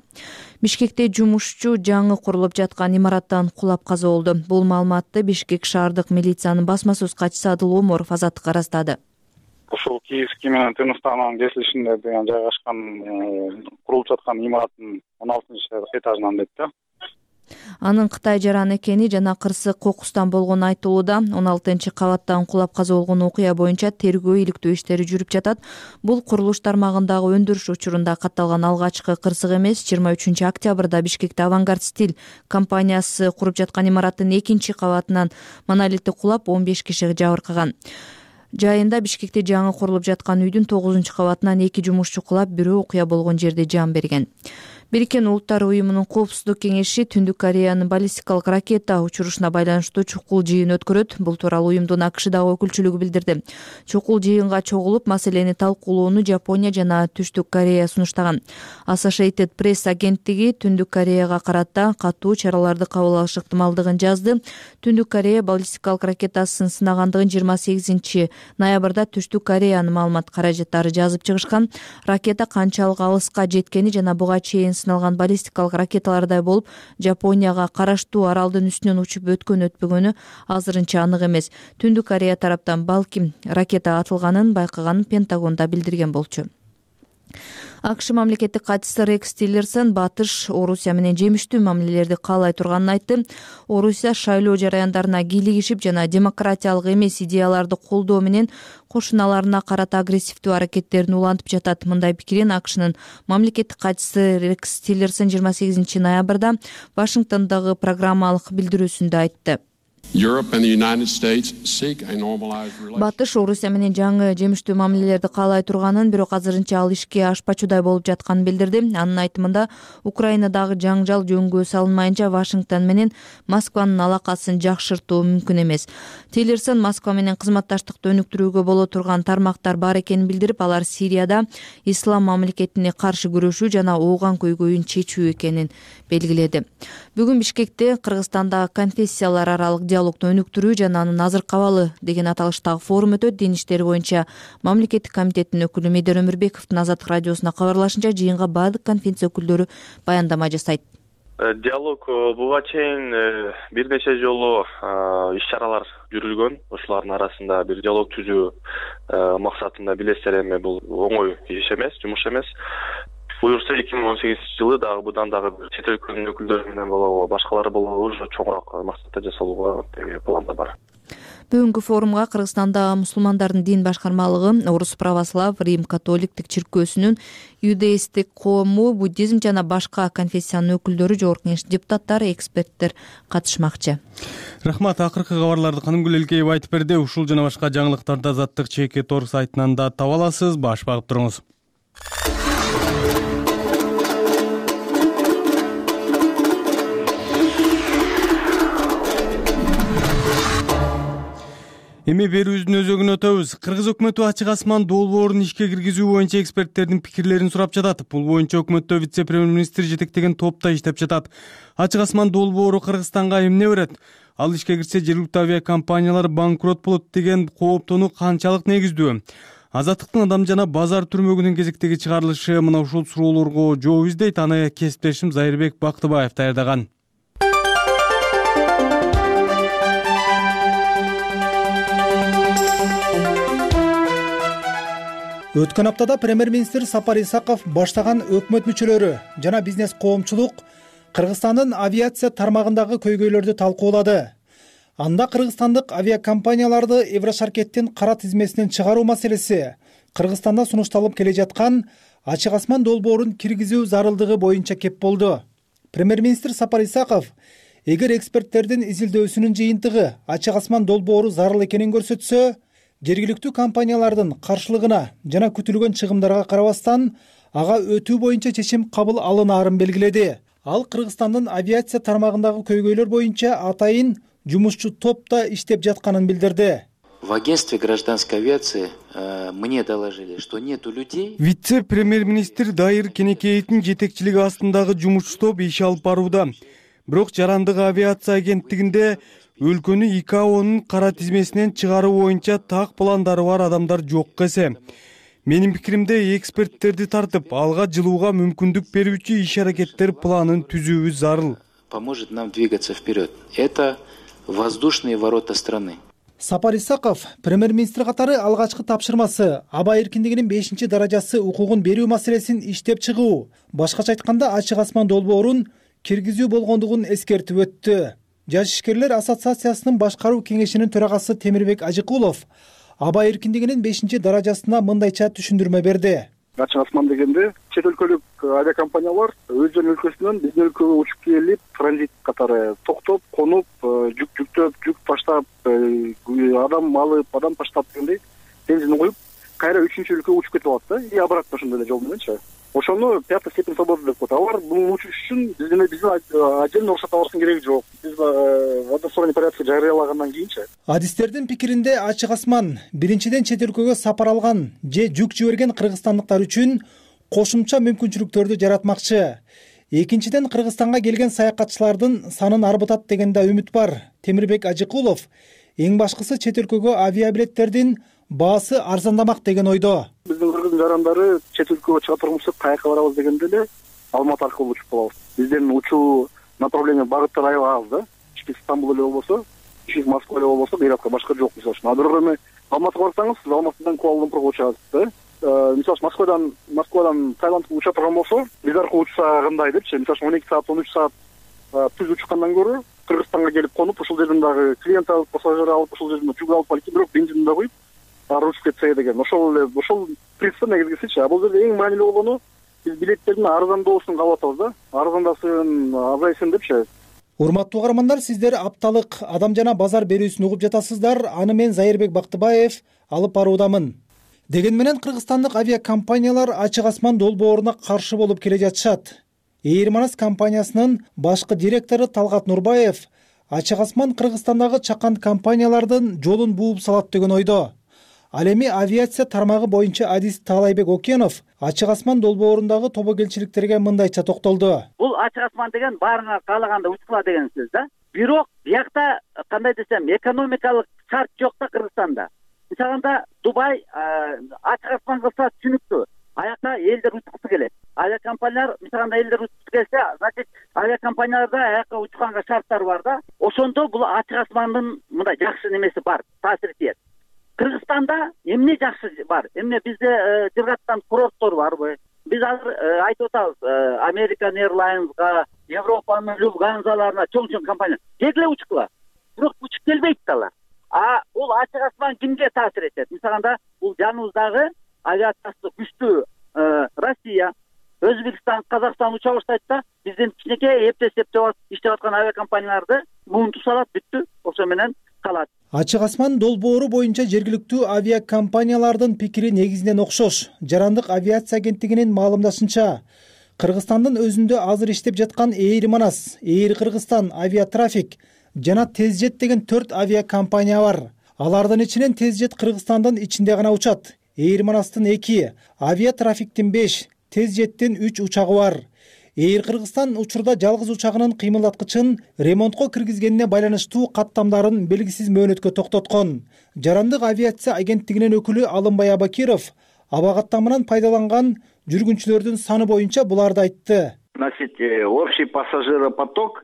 Бишкекте жумушчу жаңы курулуп жаткан имараттан кулап каза болду. Бул маалыматты Бишкек шаардык милициянын басма сөз катчысы Адыл Оморов Азаттыкка ырастады. Ушул Киевский менен Тыныштаган кесилишинде деген жайгашкан курулуп жаткан имараттын он алтынчы этажынан дейт да. Анын Кытай жараны экени жана кырсык кокустан болгону айтылууда. он алтынчы кабаттан кулап каза болгон окуя боюнча тергөө иликтөө иштери жүрүп жатат. Бул курулуш тармагындагы өндүрүш учурунда катталган алгачкы кырсык эмес. жыйырма үчүнчү октябрда Бишкекте Авангард Стиль компаниясы куруп жаткан имараттын экинчи кабатынан монолити кулап, он беш киши жабыркаган. Жайында Бишкекте жаңы курулуп жаткан үйдүн тогузунчу кабатынан эки жумушчу кулап, бирөө окуя болгон жерде жан берген. Бириккен Улуттар уюмунун коопсуздук кеңеши Түндүк Кореянын баллистикалык ракета учурушуна байланыштуу чукул жыйын өткөрөт. Бул тууралуу уюмдун АКШдагы өкүлчүлүгү билдирди. Чукул жыйынга чогулуп, маселени талкуулоону Жапония жана Түштүк Корея сунуштаган. Associated Press агенттиги Түндүк Кореяга карата катуу чараларды кабыл алыш ыктымалдыгын жазды. Түндүк Корея баллистикалык ракетасын сынагандыгын жыйырма сегизинчи ноябрда Түштүк Кореянын маалымат каражаттары жазып чыгышкан. Ракета канчалык алыска жеткени жана буга чейин сыналган баллистикалык ракеталардай болуп, Жапонияга караштуу аралдын үстүнөн учуп өткөн өтпөгөнү азырынча анык эмес. Түндүк Корея тараптан балким ракета атылганын байкаганын Пентагонда билдирген болчу. АКШ мамлекеттик катчысы Рекс Тиллерсон Батыш Орусия менен жемиштүү мамилелерди каалай турганын айтты. Орусия шайлоо жараяндарына кийлигишип жана демократиялык эмес идеяларды колдоо менен кошуналарына карата агрессивдүү аракеттерин улантып жатат. Мындай пикирин АКШнын мамлекеттик катчысы Рекс Тиллерсон жыйырма сегизинчи ноябрда Вашингтондогу программалык билдирүүсүндө айтты. Батыш Орусия менен жаңы жемиштүү мамилелерди каалай турганын, бирок азырынча ал ишке ашпачудай болуп жатканын билдирди. Анын айтымында, Украинадагы жаңжал жөнгө салынмайынча Вашингтон менен Москванын алакасын жакшыртуу мүмкүн эмес. Тиллерсон Москва менен кызматташтыкты өнүктүрүүгө боло турган тармактар бар экенин билдирип, алар Сирияда ислам мамлекетине каршы күрөшүү жана ооган көйгөйүн чечүү экенин белгиледи. Бүгүн Бишкекте Кыргызстандагы конфессиялар аралык диалогду өнүктүрүү жана анын азыркы абалы деген аталыштагы форум өтөт. Дин иштери боюнча мамлекеттик комитеттин өкүлү Медер Өмүрбековдун Азаттык радиосуна кабарлашынча, жыйынга баардык конференция өкүлдөрү баяндама жасайт. Диалог буга чейин бир нече жолу иш-чаралар жүрүлгөн. Ошолардын арасында бир диалог түзүү максатында билесиздер, эми бул оңой иш эмес, жумуш эмес. Буюрса эки миң он сегизинчи жылы дагы будан дагы чет өлкөнүн өкүлдөрү менен болобу, башкалары болобу уже чоңураак максатта жасалууга планда бар. Бүгүнкү форумга Кыргызстанда мусулмандардын дин башкармалыгы, Орус православ, Рим католиктик чиркөөсүнүн, Юдеисттик коому, буддизм жана башка конфессиянын өкүлдөрү, жогорку кеңеш депутаттары, эксперттер катышмакчы. Рахмат. Акыркы кабарларды Канымгүл Элкеева айтып берди. Ушул жана башка жаңылыктарды Азаттык чеке торг сайтынан да таба аласыз. Баш багып туруңуз. Эми берүүбүздүн өзөгүн өтөбүз. Кыргыз өкмөтү ачык асман долбоорун ишке киргизүү боюнча эксперттердин пикирлерин сурап жатат. Бул боюнча өкмөттө вице-премьер-министр жетектеген топ да иштеп жатат. Ачык асман долбоору Кыргызстанга эмне берет? Ал ишке кирсе жергиликтүү авиакомпаниялар банкрот болот деген кооптонуу канчалык негиздүү? Азаттыктын Адам жана базар түрмөгүнүн кезектеги чыгарылышы мына ушул суроолорго жооп издейт. Аны кесиптешим Зайырбек Бактыбаев даярдаган. Өткөн аптада премьер-министр Сапар Исаков баштаган өкмөт мүчөлөрү жана бизнес коомчулук Кыргызстандын авиация тармагындагы көйгөйлөрдү талкуулады. Анда кыргызстандык авиакомпанияларды Еврошаркеттин кара тизмесинен чыгаруу маселеси, Кыргызстанда сунушталып келе жаткан ачык асман долбоорун киргизүү зарылдыгы боюнча кеп болду. Премьер-министр Сапар Исаков эгер эксперттердин изилдөөсүнүн жыйынтыгы ачык асман долбоору зарыл экенин көрсөтсө, жергиликтүү компаниялардын каршылыгына жана күтүлгөн чыгымдарга карабастан ага өтүү боюнча чечим кабыл алынаарын белгиледи. Ал Кыргызстандын авиация тармагындагы көйгөйлөр боюнча атайын жумушчу топ да иштеп жатканын билдирди. В агентстве гражданской авиации мне доложили, что нету людей. Вице-премьер-министр Дайыр Кенекеевдин жетекчилиги астындагы жумушчу топ иш алып барууда. Бирок жарандык авиация агенттигинде өлкөнү И К О'нун кара тизмесинен чыгаруу боюнча так пландары бар адамдар жок эсе. Менин пикиримде эксперттерди тартып, алга жылууга мүмкүндүк берүүчү иш-аракеттер планын түзүүбүз зарыл. Поможет нам двигаться вперед. Это воздушные ворота страны. Сапар Исаков премьер-министр катары алгачкы тапшырмасы аба эркиндигинин бешинчи даражасы укугун берүү маселесин иштеп чыгуу, башкача айтканда ачык асман долбоорун киргизүү болгондугун эскертип өттү. Жаш ишкерлер ассоциациясынын башкаруу кеңешинин төрагасы Темирбек Ажыкулов аба эркиндигинин бешинчи даражасына мындайча түшүндүрмө берди. Ачык асман дегенде чет өлкөлүк авиакомпаниялар өздөрүнүн өлкөсүнөн биздин өлкөгө учуп келип, транзит катары токтоп, конуп, жүк жүктөп, жүк таштап, адам алып, адам таштап дегендей бензин коюп, кайра үчүнчү өлкөгө учуп кетип алат да, и обратно ошондой эле жол мененчи. Ошону пятая степень свободы деп коет. Алар бул учуш үчүн биздин биздин отдельно уруксат алыштын кереги жок. Биз в односторонний порядке жарыялагандан кийинчи. Адистердин пикиринде ачык асман биринчиден чет өлкөгө сапар алган же жүк жиберген кыргызстандыктар үчүн кошумча мүмкүнчүлүктөрдү жаратмакчы. Экинчиден Кыргызстанга келген саякатчылардын санын арбытат деген да үмүт бар. Темирбек Ажыкулов эң башкысы чет өлкөгө авиабилеттердин баасы арзандамак деген ойдо. Биздин кыргыздын жарандары чет өлкөгө чыга турмусуп каяка барабыз дегенде эле Алматы аркылуу учуп калабыз. Биздин учуу направление багыттар аябай аз да. Ички Стамбул эле болбосо, ички Москва эле болбосо, бирок башка жок мисалы үчүн. А бирок эми Алматыга барсаңыз, сиз Алматыдан Куала-Лумпурга учасыз да. Мисалы үчүн Москвадан Москвадан Таиландка уча турган болсо, биз аркылуу учса кандай депчи, мисалы үчүн он эки саат, он үч саат түз учкандан көрө Кыргызстанга келип конуп, ушул жерден дагы клиент алып, пассажир алып, ушул жерден жүк алып барып, бирок бензин да коюп аручуп кетсе деген. Ошол эле, ошол принцип негизгисичи. А бул жерде эң маанилүү болгону биз билеттердин арзандоосун каалап атабыз да. Арзандасын, азайсын депчи. Урматтуу каармандар, сиздер апталык Адам жана базар берүүсүн угуп жатасыздар. Аны мен Зайырбек Бактыбаев алып баруудамын. Деген менен кыргызстандык авиакомпаниялар ачык асман долбооруна каршы болуп келе жатышат. Эйр Манас компаниясынын башкы директору Талгат Нурбаев ачык асман Кыргызстандагы чакан компаниялардын жолун бууп салат деген ойдо. Ал эми авиация тармагы боюнча адист Таалайбек Окенов ачык асман долбоорундагы тобокелчиликтерге мындайча токтолду. Бул ачык асман деген баарыңар каалаганда учкула деген сөз да. Бирок биякта кандай десем, экономикалык шарт жок да Кыргызстанда. Мисалында Дубай ачык асман кылса түшүнүктүү. Аякта элдер учкусу келет. Авиакомпаниялар мисалында элдер учкусу келсе, значит авиакомпанияларда аякка учканга шарттар бар да. Ошондо бул ачык асмандын мындай жакшы немеси бар, таасири тиет. Кыргызстанда эмне жакшы бар? Эмне бизде жыргаттан курорттор барбы? Биз азыр айтып атабыз, American Airlines'га, Европанын Lufthansa'ларына чоң-чоң компания дегле учкула. Бирок учуп келбейт алар. А бул ачык асман кимге таасир этет? Мисалында бул жаныбыздагы авиациясы күчтүү Россия, Өзбекстан, Казакстан уча баштайт да, биздин кичинекей эптеп-эптеп иштеп аткан авиакомпанияларды муунтуп салат, бүттү. Ошо менен калат. Ачык асман долбоору боюнча жергиликтүү авиакомпаниялардын пикири негизинен окшош. Жарандык авиация агенттигинин маалымдашынча, Кыргызстандын өзүндө азыр иштеп жаткан Эйр Манас, Эйр Кыргызстан, Авиатрафик жана Тезжет деген төрт авиакомпания бар. Алардын ичинен Тезжет Кыргызстандын ичинде гана учат. Эйр Манастын эки, Авиатрафиктин беш, Тезжеттин үч учагы бар. Эйр Кыргызстан учурда жалгыз учагынын кыймылдаткычын ремонтко киргизгенине байланыштуу каттамдарын белгисиз мөөнөткө токтоткон. Жарандык авиация агенттигинин өкүлү Алымбай Абакиров аба каттамынан пайдаланган жүргүнчүлөрдүн саны боюнча буларды айтты. Значит, общий пассажиропоток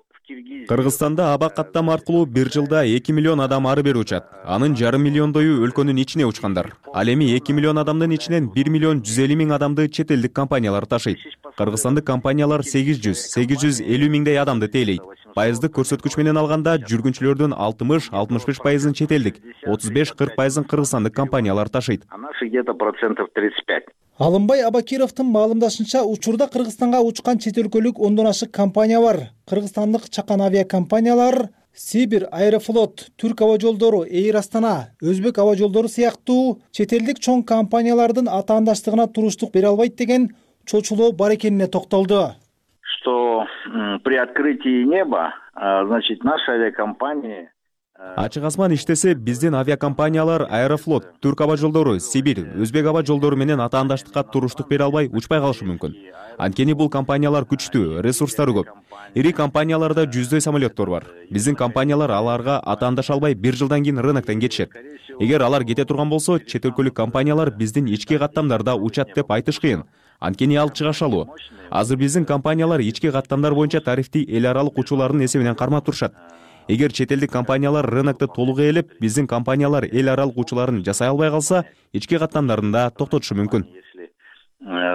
Кыргызстанда аба каттам аркылуу бир жылда эки миллион адам ары бери учат. Анын жарым миллиондою өлкөнүн ичине учкандар. Ал эми эки миллион адамдын ичинен бир миллион жүз элүү миң адамды чет элдик компаниялар ташыйт. Кыргызстандык компаниялар сегиз жүз сегиз жүз элүү миңдей адамды тейлейт. Пайыздык көрсөткүч менен алганда жүргүнчүлөрдүн алтымыш алтымыш беш пайызын чет элдик, отуз беш кырк пайызын кыргызстандык компаниялар ташыйт. А наши где-то процентов тридцать пять. Алымбай Абакировдун маалымдашынча, учурда Кыргызстанга учкан чет өлкөлүк ондон ашык компания бар. Кыргызстандык чакан авиакомпаниялар Сибир, Аэрофлот, Түрк аба жолдору, Эйр Астана, Өзбек аба жолдору сыяктуу чет элдик чоң компаниялардын атаандаштыгына туруштук бере албайт деген чочулоо бар экенине токтолду. Что при открытии неба, значит, наши авиакомпании Ачык асман иштесе, биздин авиакомпаниялар Аэрофлот, Түрк аба жолдору, Сибир, Өзбек аба жолдору менен атаандаштыкка туруштук бере албай учпай калышы мүмкүн. Анткени бул компаниялар күчтүү, ресурстары көп. Ири компанияларда жүздөй самолеттор бар. Биздин компаниялар аларга атаандаша албай бир жылдан кийин рыноктон кетишет. Эгер алар кете турган болсо, чет өлкөлүк компаниялар биздин ички каттамдарда учат деп айтыш кыйын. Анткени ал чыгашалуу. Азыр биздин компаниялар ички каттамдар боюнча тарифти эл аралык учуулардын эсебинен кармап турушат. Эгер чет элдик компаниялар рынокто толук ээлеп, биздин компаниялар эл аралык учууларын жасай албай калса, ички каттамдарында токтотушу мүмкүн.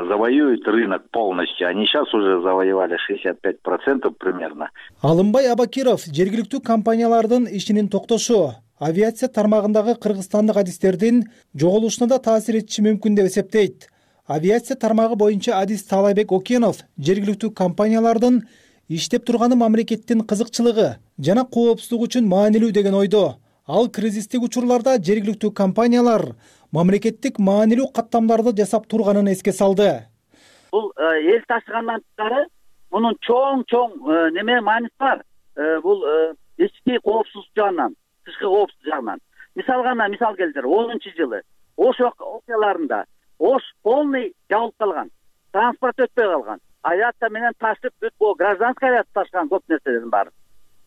Завоюют рынок полностью. Они сейчас уже завоевали шестьдесят пять процентов примерно. Алымбай Абакиров жергиликтүү компаниялардын ишинин токтошу авиация тармагындагы кыргызстандык адистердин жоголушуна да таасир этиши мүмкүн деп эсептейт. Авиация тармагы боюнча адис Таалайбек Окенов жергиликтүү компаниялардын иштеп турганы мамлекеттин кызыкчылыгы жана коопсуздук үчүн маанилүү деген ойдо. Ал кризистик учурларда жергиликтүү компаниялар мамлекеттик маанилүү каттамдарды жасап турганын эске салды. Бул эл ташыгандан тышкары мунун чоң-чоң неме мааниси бар. Бул ички коопсуздук жагынан, тышкы коопсуздук жагынан. Мисал гана мисал келтир, онунчу жылы Ош окуяларында Ош полный жабылып калган, транспорт өтпөй калган. Авиация менен ташып бүт бул гражданский авиация ташыган көп нерселердин баары.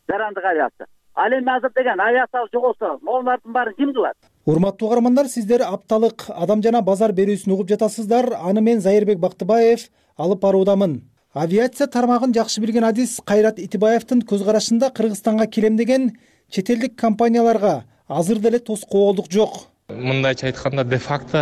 Жарандык авиация. Ал эми азыр деген авиация жоголсо, могулардын баарын ким кылат? Урматтуу каармандар, сиздер апталык адам жана базар берүүсүн угуп жатасыздар. Аны мен Зайырбек Бактыбаев алып баруудамын. Авиация тармагын жакшы билген адис Кайрат Итибаевдин көз карашында Кыргызстанга келемдеген чет элдик компанияларга азыр деле тоскоолдук жок. Мындайча айтканда, де факто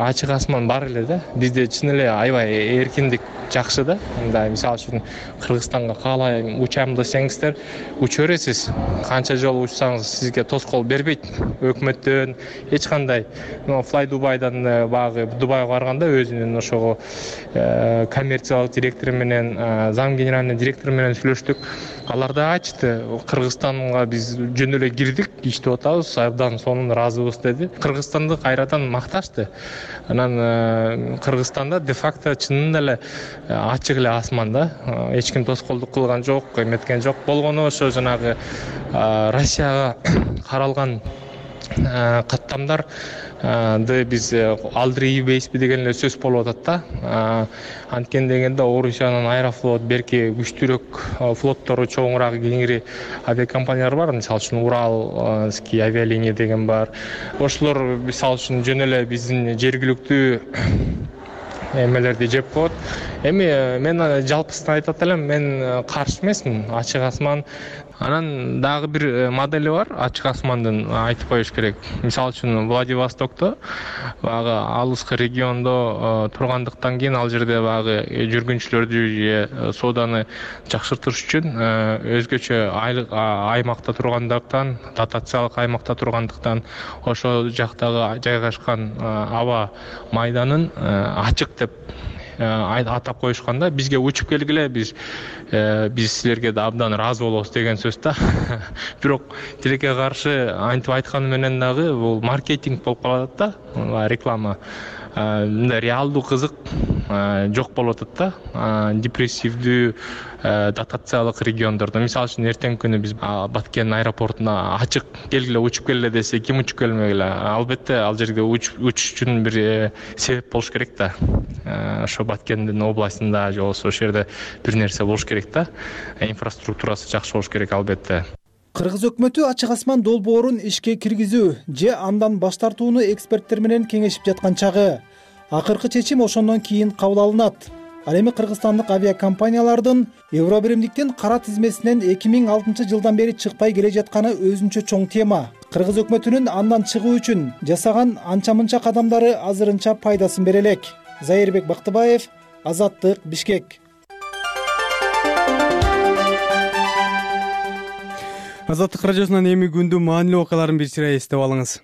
ачык асман бар эле да. Бизде чын эле аябай эркиндик жакшы да. Мындай мисалы үчүн Кыргызстанга каалайм учам десеңиздер, уча бересиз. Канча жолу учсаңыз сизге тоскоол бербейт. Өкмөттөн эч кандай. Fly Дубайдан багы Дубайга барганда өзүнүн ошого коммерциялык директору менен, зам генеральный директору менен сүйлөштүк. Алар да айтты, Кыргызстанга биз жөн эле кирдик, иштеп атабыз, абдан сонун ыраазыбыз деди. Кыргызстанды кайрадан макташты. Анан Кыргызстанда де факто чынында эле ачык эле асман да. Эч ким тоскоолдук кылган жок, эметкен жок. Болгону ошо жанагы Россияга каралган каттамдар биз алдыр ийбейсизби деген эле сөз болуп атат да. Анткени дегенде Орусиянын Аэрофлот, берки күчтүүрөөк флоттору, чоңураак, кеңири авиакомпаниялар бар. Мисалы үчүн Уралский авиалиния деген бар. Ошолор мисалы үчүн жөн эле биздин жергиликтүү эмелерди жеп коет. Эми мен жалпысын айтат элем, мен каршы эмесмин, ачык асман. Анан дагы бир модели бар, ачык асмандын, айтып коюш керек. Мисалы үчүн Владивостокто, багы алыскы региондо тургандыктан кийин ал жерде багы жүргүнчүлөрдү же сооданы жакшыртыш үчүн өзгөчө аймакта тургандыктан, дотациялык аймакта тургандыктан ошол жактагы жайгашкан аба майданын ачык деп атап коюшканда, бизге учуп келгиле, биз биз силерге да абдан ыраазы болобуз деген сөз да. Бирок тилекке каршы антип айтканы менен дагы бул маркетинг болуп калат да, реклама. Мындай реалдуу кызык жок болуп атат да. Депрессивдүү дотациялык региондордо, мисалы үчүн эртеңки күнү биз Баткен аэропортуна ачык келгиле, учуп келгиле десе, ким учуп келмегиле? Албетте ал жерге учуш үчүн бир себеп болуш керек да. Ошо Баткендин областында же болбосо ошол жерде бир нерсе болуш керек да. Инфраструктурасы жакшы болуш керек албетте. Кыргыз өкмөтү ачык асман долбоорун ишке киргизүү же андан баш тартууну эксперттер менен кеңешип жаткан чагы. Акыркы чечим ошондон кийин кабыл алынат. Ал эми кыргызстандык авиакомпаниялардын Евробиримдиктин кара тизмесинен эки миң алтынчы жылдан бери чыкпай келе жатканы өзүнчө чоң тема. Кыргыз өкмөтүнүн андан чыгуу үчүн жасаган анча-мынча кадамдары азырынча пайдасын бере элек. Зайырбек Бактыбаев, Азаттык, Бишкек. Азаттык радиосунан эми күндүн маанилүү окуяларын бир сыйра эстеп алыңыз.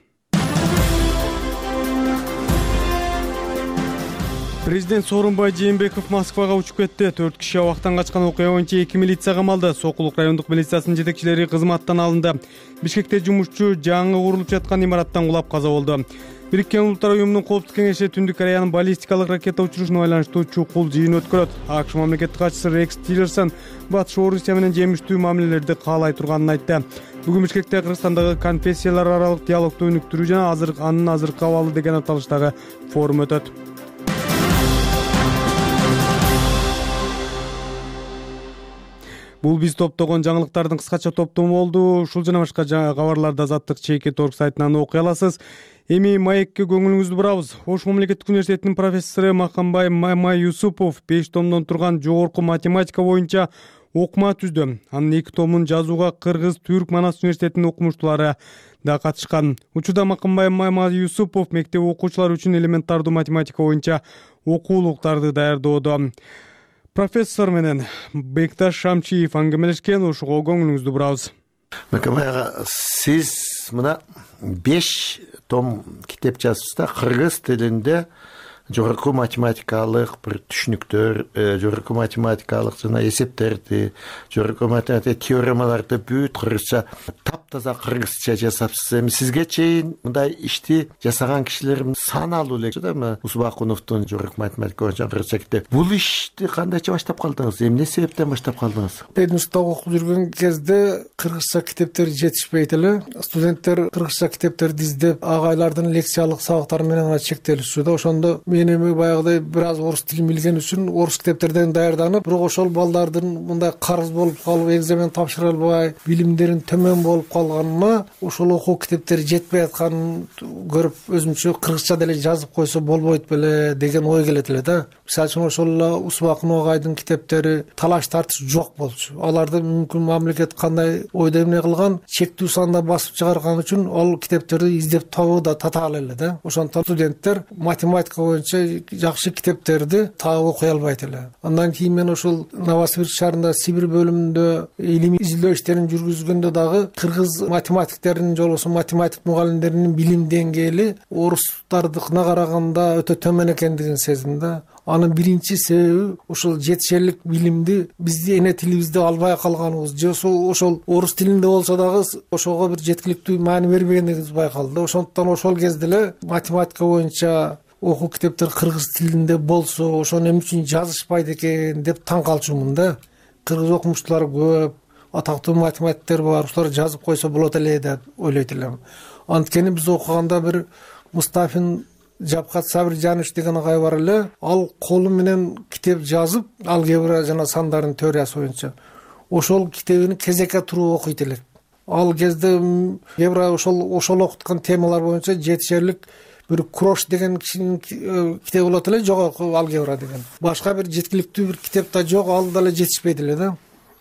Президент Сооронбай Жээнбеков Москвага учуп кетти. төрт киши абактан качкан окуя боюнча эки милиция камалды. Сокулук райондук милициясынын жетекчилери кызматтан алынды. Бишкекте жумушчу жаңы курулуп жаткан имараттан кулап каза болду. Бириккен Улуттар уюмунун коопсуздук кеңеши Түндүк Кореянын баллистикалык ракета учурушуна байланыштуу чукул жыйын өткөрөт. АКШ мамлекеттик катчысы Рекс Тиллерсон Батыш Орусия менен жемиштүү мамилелерди каалай турганын айтты. Бүгүн Бишкекте Кыргызстандагы конфессиялар аралык диалогду өнүктүрүү жана азыр анын азыркы абалы деген аталыштагы форум өтөт. Бул биз топтогон жаңылыктардын кыскача топтому болду. Ушул жана башка кабарларды Азаттык чейки торг сайтынан окуй аласыз. Эми маекке көңүлүңүздү бурабыз. Ош мамлекеттик университетинин профессору Макамбай Мамай Юсупов беш томдон турган жогорку математика боюнча окума түздү. Анын эки томун жазууга Кыргыз Түрк Манас университетинин окумуштуулары да катышкан. Учурда Макамбай Мамай Юсупов мектеп окуучулары үчүн элементардуу математика боюнча окуулуктарды даярдоодо. Профессор менен Бекташ Шамчиев аңгемелешкен, ошого көңүлүңүздү бурабыз. Макамбай ага, сиз мына беш том китеп жазыпсыз да, кыргыз тилинде жогорку математикалык бир түшүнүктөр, жогорку математикалык жана эсептерди, жогорку математика теоремаларды бүт кыргызча таптаза кыргызча жасапсыз. Эми сизге чейин мындай ишти жасаган кишилер саналуу эле да, Усбакуновдун жогорку математика боюнча кыргызча китеп. Бул ишти кандайча баштап калдыңыз? Эмне себептен баштап калдыңыз? Институтта окуп жүргөн кезде кыргызча китептер жетишпейт эле. Студенттер кыргызча китептерди издеп, агайлардын лекциялык сабактары менен гана чектелишчү да. Ошондо мен эми баягыдай бир аз орус тилин билген үчүн орус китептерден даярданып, бирок ошол балдардын мындай карыз болуп калып, экзамен тапшыра албай, билимдерин төмөн болуп калганына, ошол окуу китептери жетпей атканын көрүп, өзүмчө кыргызча деле жазып койсо болбойт беле деген ой келет эле да. Мисалы үчүн ошол эле Усбакунов агайдын китептери талаш тартыш жок болчу. Аларды мүмкүн мамлекет кандай ойдо эмне кылган, чектүү санда басып чыгарган үчүн ал китептерди издеп табуу да татаал эле да. Ошондон студенттер математика боюнча жакшы китептерди таап окуй албайт эле. Андан кийин мен ошол Новосибирск шаарында Сибир бөлүмүндө илимий изилдөө иштерин жүргүзгөндө дагы кыргыз математиктеринин же болбосо математик мугалимдеринин билим деңгээли орустардыкына караганда өтө төмөн экендигин сездим да. Анын биринчи себеби ошол жетишерлик билимди бизди эне тилибизде албай калганыбыз, же ошол орус тилинде болсо дагы ошого бир жеткиликтүү маани бербегендигибиз байкалды. Ошондуктан ошол кезде эле математика боюнча окуу китептер кыргыз тилинде болсо, ошону эмне үчүн жазышпайт экен деп таң калчумун да. Кыргыз окумуштуулар көп, атактуу математиктер бар, ушулар жазып койсо болот эле деп ойлойт элем. Анткени биз окуганда бир Мустафин Жапкат Сабиржанович деген агай бар эле. Ал колу менен китеп жазып, алгебра жана сандардын теориясы боюнча ошол китебин кезекке туруп окуйт элек. Ал кезде алгебра ошол ошол окуткан темалар боюнча жетишерлик бир Крош деген кишинин китеби болот эле, жогорку алгебра деген. Башка бир жеткиликтүү бир китеп да жок, ал дагы жетишпейт эле да.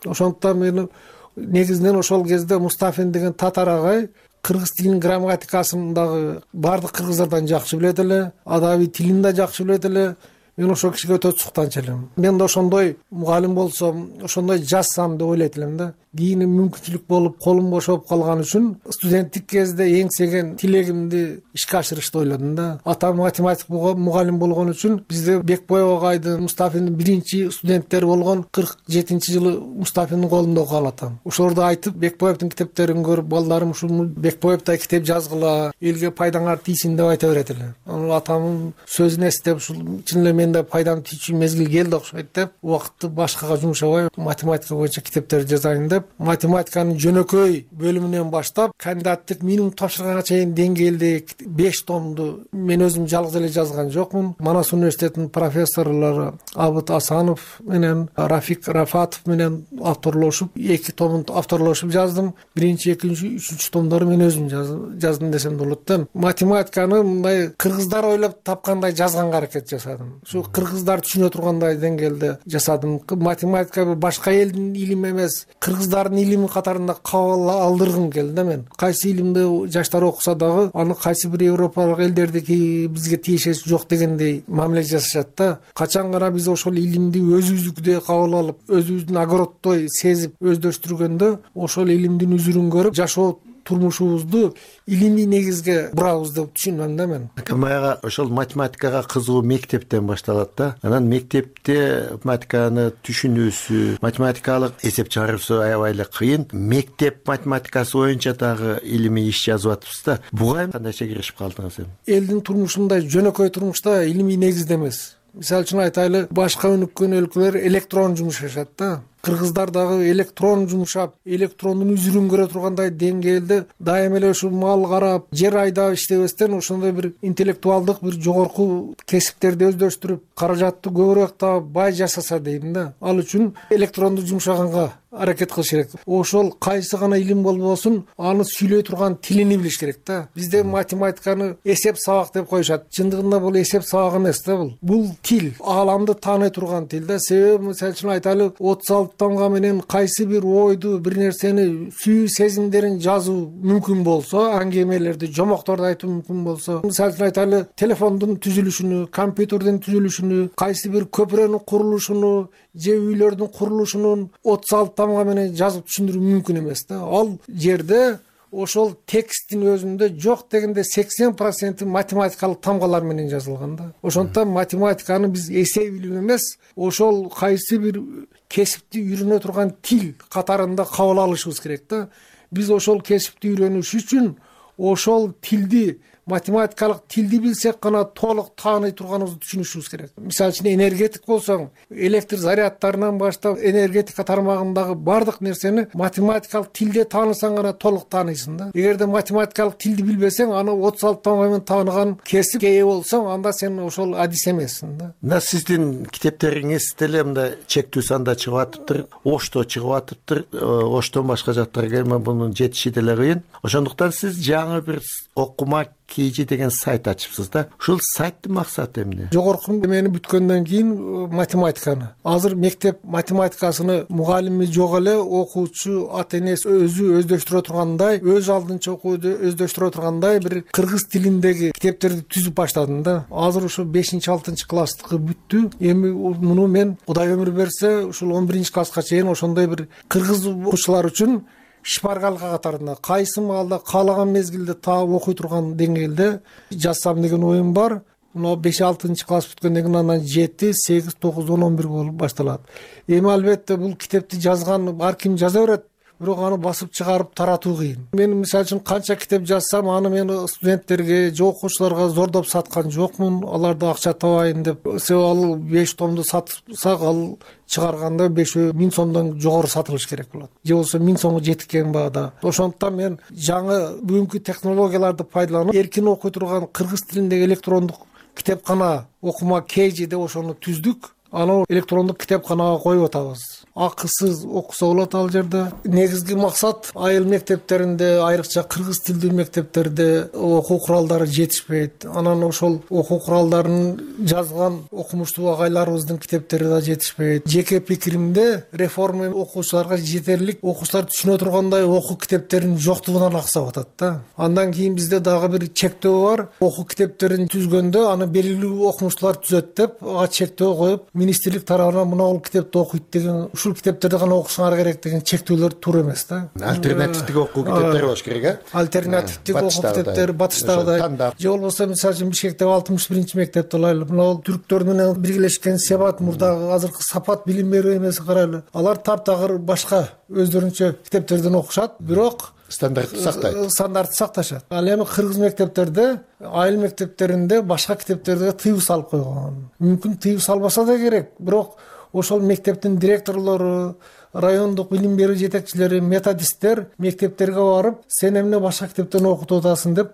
Ошондуктан мен негизинен ошол кезде Мустафин деген татар агай кыргыз тилинин грамматикасын дагы баардык кыргыздардан жакшы билет эле, адабий тилин да жакшы билет эле. Мен ошол кишиге өтө суктанчу элем. Мен да ошондой мугалим болсом, ошондой жазсам деп ойлойт элем да. Кийин мүмкүнчүлүк болуп, колум бошоп калган үчүн студенттик кезде эңсеген тилегимди ишке ашырышты ойлодум да. Атам математик мугалим болгон үчүн бизде Бекбоев агайдын, Мустафиндин биринчи студенттери болгон кырк жетинчи жылы Мустафиндин колунда окуган атам. Ошолорду айтып, Бекбоевдин китептерин көрүп, балдарым ушул Бекбоевдай китеп жазгыла, элге пайдаңар тийсин деп айта берет эле. Анан атамдын сөзүн эстеп, ушул чын эле менде пайдам тийчү мезгил келди окшойт деп, убакытты башкага жумшабай математика боюнча китептер жазайын деп, математиканын жөнөкөй бөлүмүнөн баштап кандидаттык минимум тапшырганга чейин деңгээлде беш томду мен өзүм жалгыз эле жазган жокмун. Манас университетинин профессорлору Абыт Асанов менен Рафик Рафатов менен авторлошуп, эки томун авторлошуп жаздым. Биринчи, экинчи, үчүнчү томдорду мен өзүм жаздым десем да болот да. Математиканы мындай кыргыздар ойлоп тапкандай жазганга аракет жасадым. Ушу кыргыздар түшүнө тургандай деңгээлде жасадым. Математика бир башка элдин илими эмес, кыргыздардын илими катарында кабыл алдыргым келди да мен. Кайсы илимди жаштар окуса дагы, аны кайсы бир европалык элдердики бизге тиешеси жок дегендей мамиле жасашат да. Качан гана биз ошол илимди өзүбүздүкүдөй кабыл алып, өзүбүздүн огороддой сезип өздөштүргөндө, ошол илимдин үзүрүн көрүп жашоо турмушубузду илимий негизге бурабыз деп түшүнөм да мен. Камаяга ошол математикага кызыгуу мектептен башталат да. Анан мектепте математиканы түшүнүүсү, математикалык эсеп чыгаруусу аябай эле кыйын. Мектеп математикасы боюнча дагы илимий иш жазып атыпсыз да. Буга кандайча киришип калдыңыз эми? Элдин турмушундай жөнөкөй турмушта илимий негизде эмес. Мисалы үчүн айтайлы, башка өнүккөн өлкөлөр электрон жумушашат да. Кыргыздар дагы электрон жумушап, электрондун үзүрүн көрө тургандай деңгээлде дайыма эле ушул мал карап, жер айдап иштебестен ошондой бир интеллектуалдык бир жогорку кесиптерди өздөштүрүп, каражатты көбүрөөк таап, бай жашаса дейм да. Ал үчүн электронду жумшаганга аракет кылыш керек. Ошол кайсы гана илим болбосун, аны сүйлөй турган тилини билиш керек да. Бизде математиканы эсеп сабак деп коюшат. Чындыгында бул эсеп сабак эмес да бул. Бул тил, ааламды тааный турган тил да. Себеби мисалы үчүн айтайлы, отуз алты томго менен кайсы бир ойду, бир нерсени, сүйүү сезимдерин жазуу мүмкүн болсо, аңгемелерди, жомокторду айтуу мүмкүн болсо, мисалы үчүн айтайлы, телефондун түзүлүшүнү, компьютердин түзүлүшүнү, кайсы бир көпүрөнүн курулушуну, же үйлөрдүн курулушунун отуз алты томго менен жазып түшүндүрүү мүмкүн эмес да. Ал жерде ошол тексттин өзүндө жок дегенде сексен проценти математикалык тамгалар менен жазылган да. Ошондуктан математиканы биз эсеп илими эмес, ошол кайсы бир кесипти үйрөнө турган тил катарында кабыл алышыбыз керек да. Биз ошол кесипти үйрөнүш үчүн ошол тилди, математикалык тилди билсек гана толук тааный турганыбызды түшүнүшүбүз керек. Мисалы үчүн энергетик болсоң, электр зарядтарынан баштап энергетика тармагындагы бардык нерсени математикалык тилде таанысаң гана толук тааныйсың да. Эгерде математикалык тилди билбесең, аны отуз алты томго менен тааныган кесипке ээ болсоң, анда сен ошол адис эмессиң да. Мына сиздин китептериңиз деле мындай чектүү санда чыгып атыптыр, Ошто чыгып атыптыр. Оштон башка жактарга эми мунун жетиши деле кыйын. Ошондуктан сиз жаңы бир окума Кейжи деген сайт ачыпсыз да. Ушул сайттын максаты эмне? Жогорку мени бүткөндөн кийин математиканы, азыр мектеп математикасыны мугалими жок эле, окуучу, ата энеси өзү өздөштүрө тургандай, өз алдынча окууду өздөштүрө тургандай бир кыргыз тилиндеги китептерди түзүп баштадым да. Азыр ушу бешинчи алтынчы класстыкы бүттү. Эми муну мен Кудай өмүр берсе, ушул он биринчи класска чейин ошондой бир кыргыз окуучулар үчүн шпаргалка катарында кайсы маалда каалаган мезгилде таап окуй турган деңгээлде жазсам деген оюм бар. Мына беш алтынчы класс бүткөндөн кийин анан жети, сегиз, тогуз, он, он бир болуп башталат. Эми албетте бул китепти жазган ар ким жаза берет. бирок аны басып чыгарып таратуу кыйын. Мен мисалы үчүн канча китеп жазсам, аны мен студенттерге же окуучуларга зордоп саткан жокмун, аларды акча табайын деп. Себеби ал беш томду сатсак, ал чыгарганда беш миң сомдон жогору сатылыш керек болот, же болбосо миң сомго жеткен баада. Ошондуктан мен жаңы бүгүнкү технологияларды пайдаланып, эркин окуй турган кыргыз тилиндеги электрондук китепкана окума кейжи деп ошону түздүк. Аны электрондук китепканага коюп атабыз. Акысыз окуса болот ал жерде. Негизги максат айыл мектептеринде, айрыкча кыргыз тилдүү мектептерде окуу куралдары жетишпейт. Анан ошол окуу куралдарын жазган окумуштуу агайларыбыздын китептери да жетишпейт. Жеке пикиримде реформа окуучуларга жетерлик, окуучулар түшүнө тургандай окуу китептеринин жоктугунан аксап атат да. Андан кийин бизде дагы бир чектөө бар. Окуу китептерин түзгөндө аны белгилүү окумуштуулар түзөт деп, ага чектөө коюп, министрлик тарабынан мына бул китепти окуйт деген, ушул китептерди гана окусаңар керек деген чектөөлөр туура эмес да. Альтернативдик окуу китептери болуш керек, э? Альтернативдик окуу китептери батыштагыдай. Же болбосо мисалы үчүн Бишкектеги алтымыш биринчи мектепти алайлы. Мына бул түрктөр менен биргелешкен Себат мурдагы азыркы Сапат билим берүү эмеси карайлы. Алар таптагыр башка өздөрүнчө китептерден окушат, бирок стандартты сактайт. Стандартты сакташат. Ал эми кыргыз мектептерде, айыл мектептеринде башка китептерге тыюу салып койгон. Мүмкүн тыюу салбаса да керек, бирок ошол мектептин директорлору, райондук билим берүү жетекчилери, методисттер мектептерге барып, сен эмне башка китептен окутуп атасың деп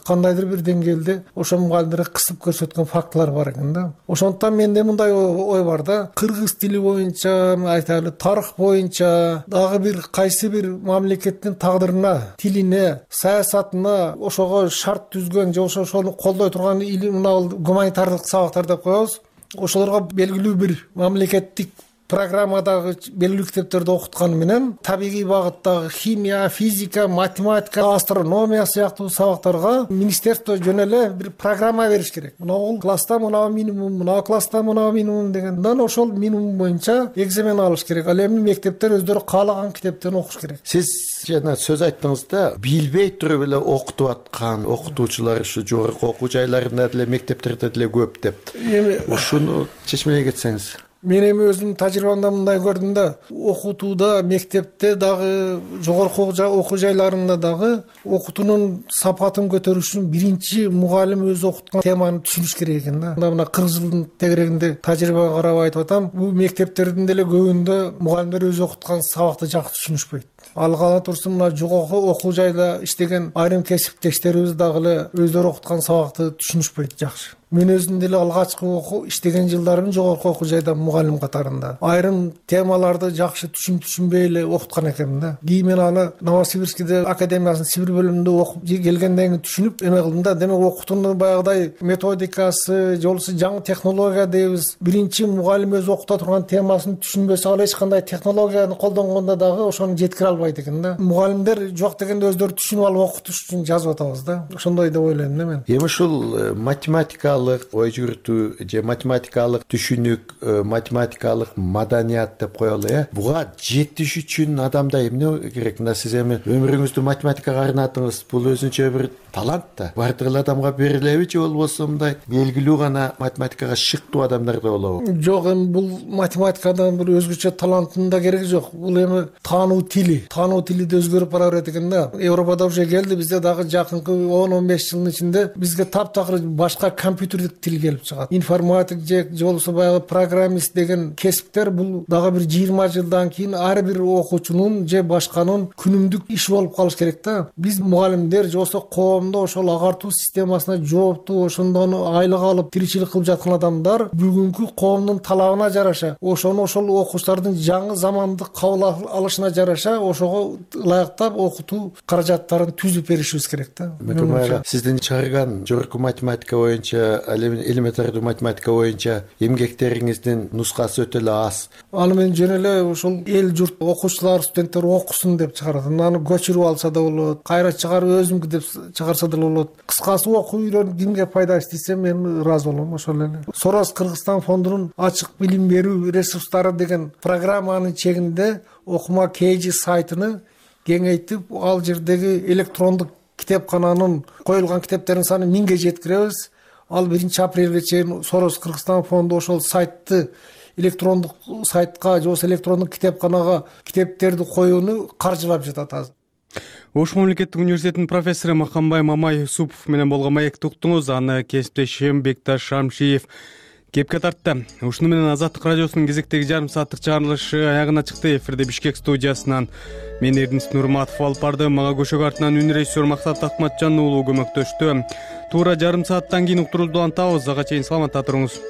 кандайдыр бир деңгээлде ошол мугалимдерге кысып көрсөткөн фактылар бар экен да. Ошондуктан менде мындай ой бар да, кыргыз тили боюнча, айтайлы, тарых боюнча дагы бир кайсы бир мамлекеттин тагдырына, тилине, саясатына ошого шарт түзгөн же ошону колдой турган мына гуманитардык сабактар деп коебуз. Ошолорго белгилүү бир мамлекеттик программадагы белгилүү китептерди окутканы менен табигый багыттагы химия, физика, математика, астрономия сыяктуу сабактарга министерство жөн эле бир программа бериш керек. Мына бул класста мына минимум, мына класста мына минимум дегенден ошол минимум боюнча экзамен алыш керек. Ал эми мектептер өздөрү каалаган китептен окуш керек. Сиз жана сөз айттыңыз да, билбей туруп эле окутуп аткан окутуучулар ушу жогорку окуу жайларында деле, мектептерде деле көп деп. Эми ушуну чечмелей кетсеңиз. Мен эми өзүмдүн тажрыйбамда мындай көрдүм да, окутууда, мектепте дагы, жогорку окуу жайларында дагы окутуунун сапатын көтөрүш үчүн биринчи мугалим өзү окуткан теманы түшүнүш керек экен да. Мына кырк жылдын тегерегинде тажрыйбага карап айтып атам, бул мектептердин деле көбүндө мугалимдер өзү окуткан сабакты жакшы түшүнүшпөйт. Ал кала турсун, мына жогорку окуу жайда иштеген айрым кесиптештерибиз дагы эле өздөрү окуткан сабакты түшүнүшпөйт жакшы. Мен өзүм деле алгачкы окуу иштеген жылдарым жогорку окуу жайда мугалим катарында. Айрым темаларды жакшы түшүн түшүнбөй эле окуткан экенмин да. Кийин мен аны Новосибирскийде академиясынын Сибир бөлүмүндө окуп келгенден кийин түшүнүп эме кылдым да. Демек окутуунун баягыдай методикасы, же болбосо жаңы технология дейбиз. Биринчи мугалим өзү окута турган темасын түшүнбөсө, ал эч кандай технологияны колдонгондо дагы ошону жеткире албайт экен да. Мугалимдер жок дегенде өздөрү түшүнүп алып окутуш үчүн жазып атабыз да. Ошондой деп ойлойм да мен. Эми ушул математика ой жүртүү же математикалык түшүнүк, математикалык маданият деп коелу, э? Буга жетиш үчүн адамда эмне керек? Мына сиз эми өмүрүңүздү математикага арнадыңыз. Бул өзүнчө бир талант да. Бардык эле адамга берилеби же болбосо мындай белгилүү гана математикага шыктуу адамдарда болобу? Жок, эми бул математикадан бир өзгөчө таланттын да кереги жок. Бул эми таануу тили, таануу тили да өзгөрүп бара берет экен да. Европада уже келди, бизде дагы жакынкы он он беш жылдын ичинде бизге таптакыр башка компьютердик тил келип чыгат. Информатик же же болбосо баягы программист деген кесиптер бул дагы бир жыйырма жылдан кийин ар бир окуучунун же башканын күнүмдүк иши болуп калыш керек да. Биз мугалимдер же болбосо коомдо ошол агартуу системасына жооптуу, ошондон айлык алып тиричилик кылып жаткан адамдар бүгүнкү коомдун талабына жараша, ошону ошол окуучулардын жаңы замандык кабыл алышына жараша ошого ылайыктап окутуу каражаттарын түзүп беришибиз керек да. Сиздин чыгарган жогорку математика боюнча, элементардуу математика боюнча эмгектериңиздин нускасы өтө эле аз. Аны мен жөн эле ошол эл журт окуучулар, студенттер окусун деп чыгарат. Аны көчүрүп алса да болот, кайра чыгарып өзүмдүкү деп чыгарса да болот. Кыскасы окуу үйрөнүп кимге пайдасы тийсе мен ыраазы болом. Ошол эле. Сорос Кыргызстан фондунун ачык билим берүү ресурстары деген программанын чегинде окума кейжи сайтыны кеңейтип, ал жердеги электрондук китепкананын коюлган китептердин саны миңге жеткиребиз. Ал биринчи апрелге чейин Сорос Кыргызстан фонду ошол сайтты электрондук сайтка же болбосо электрондук китепканага китептерди коюуну каржылап жатат азыр. Ош мамлекеттик университетинин профессору Махамбай Мамай Юсупов менен болгон маекти уктуңуз. Аны кесиптешим Бекташ Шамшиев кепке тартты. Ушуну менен Азаттык радиосунун кезектеги жарым сааттык чыгарылышы аягына чыкты. Эфирде Бишкек студиясынан мен Эрдинис Нурматов алып бардым. Мага көшөгө артынан үн режиссер Максат Акматжан уулу көмөктөштү. Туура жарым сааттан кийин уктуруубузду антабыз. Ага чейин саламатта туруңуз.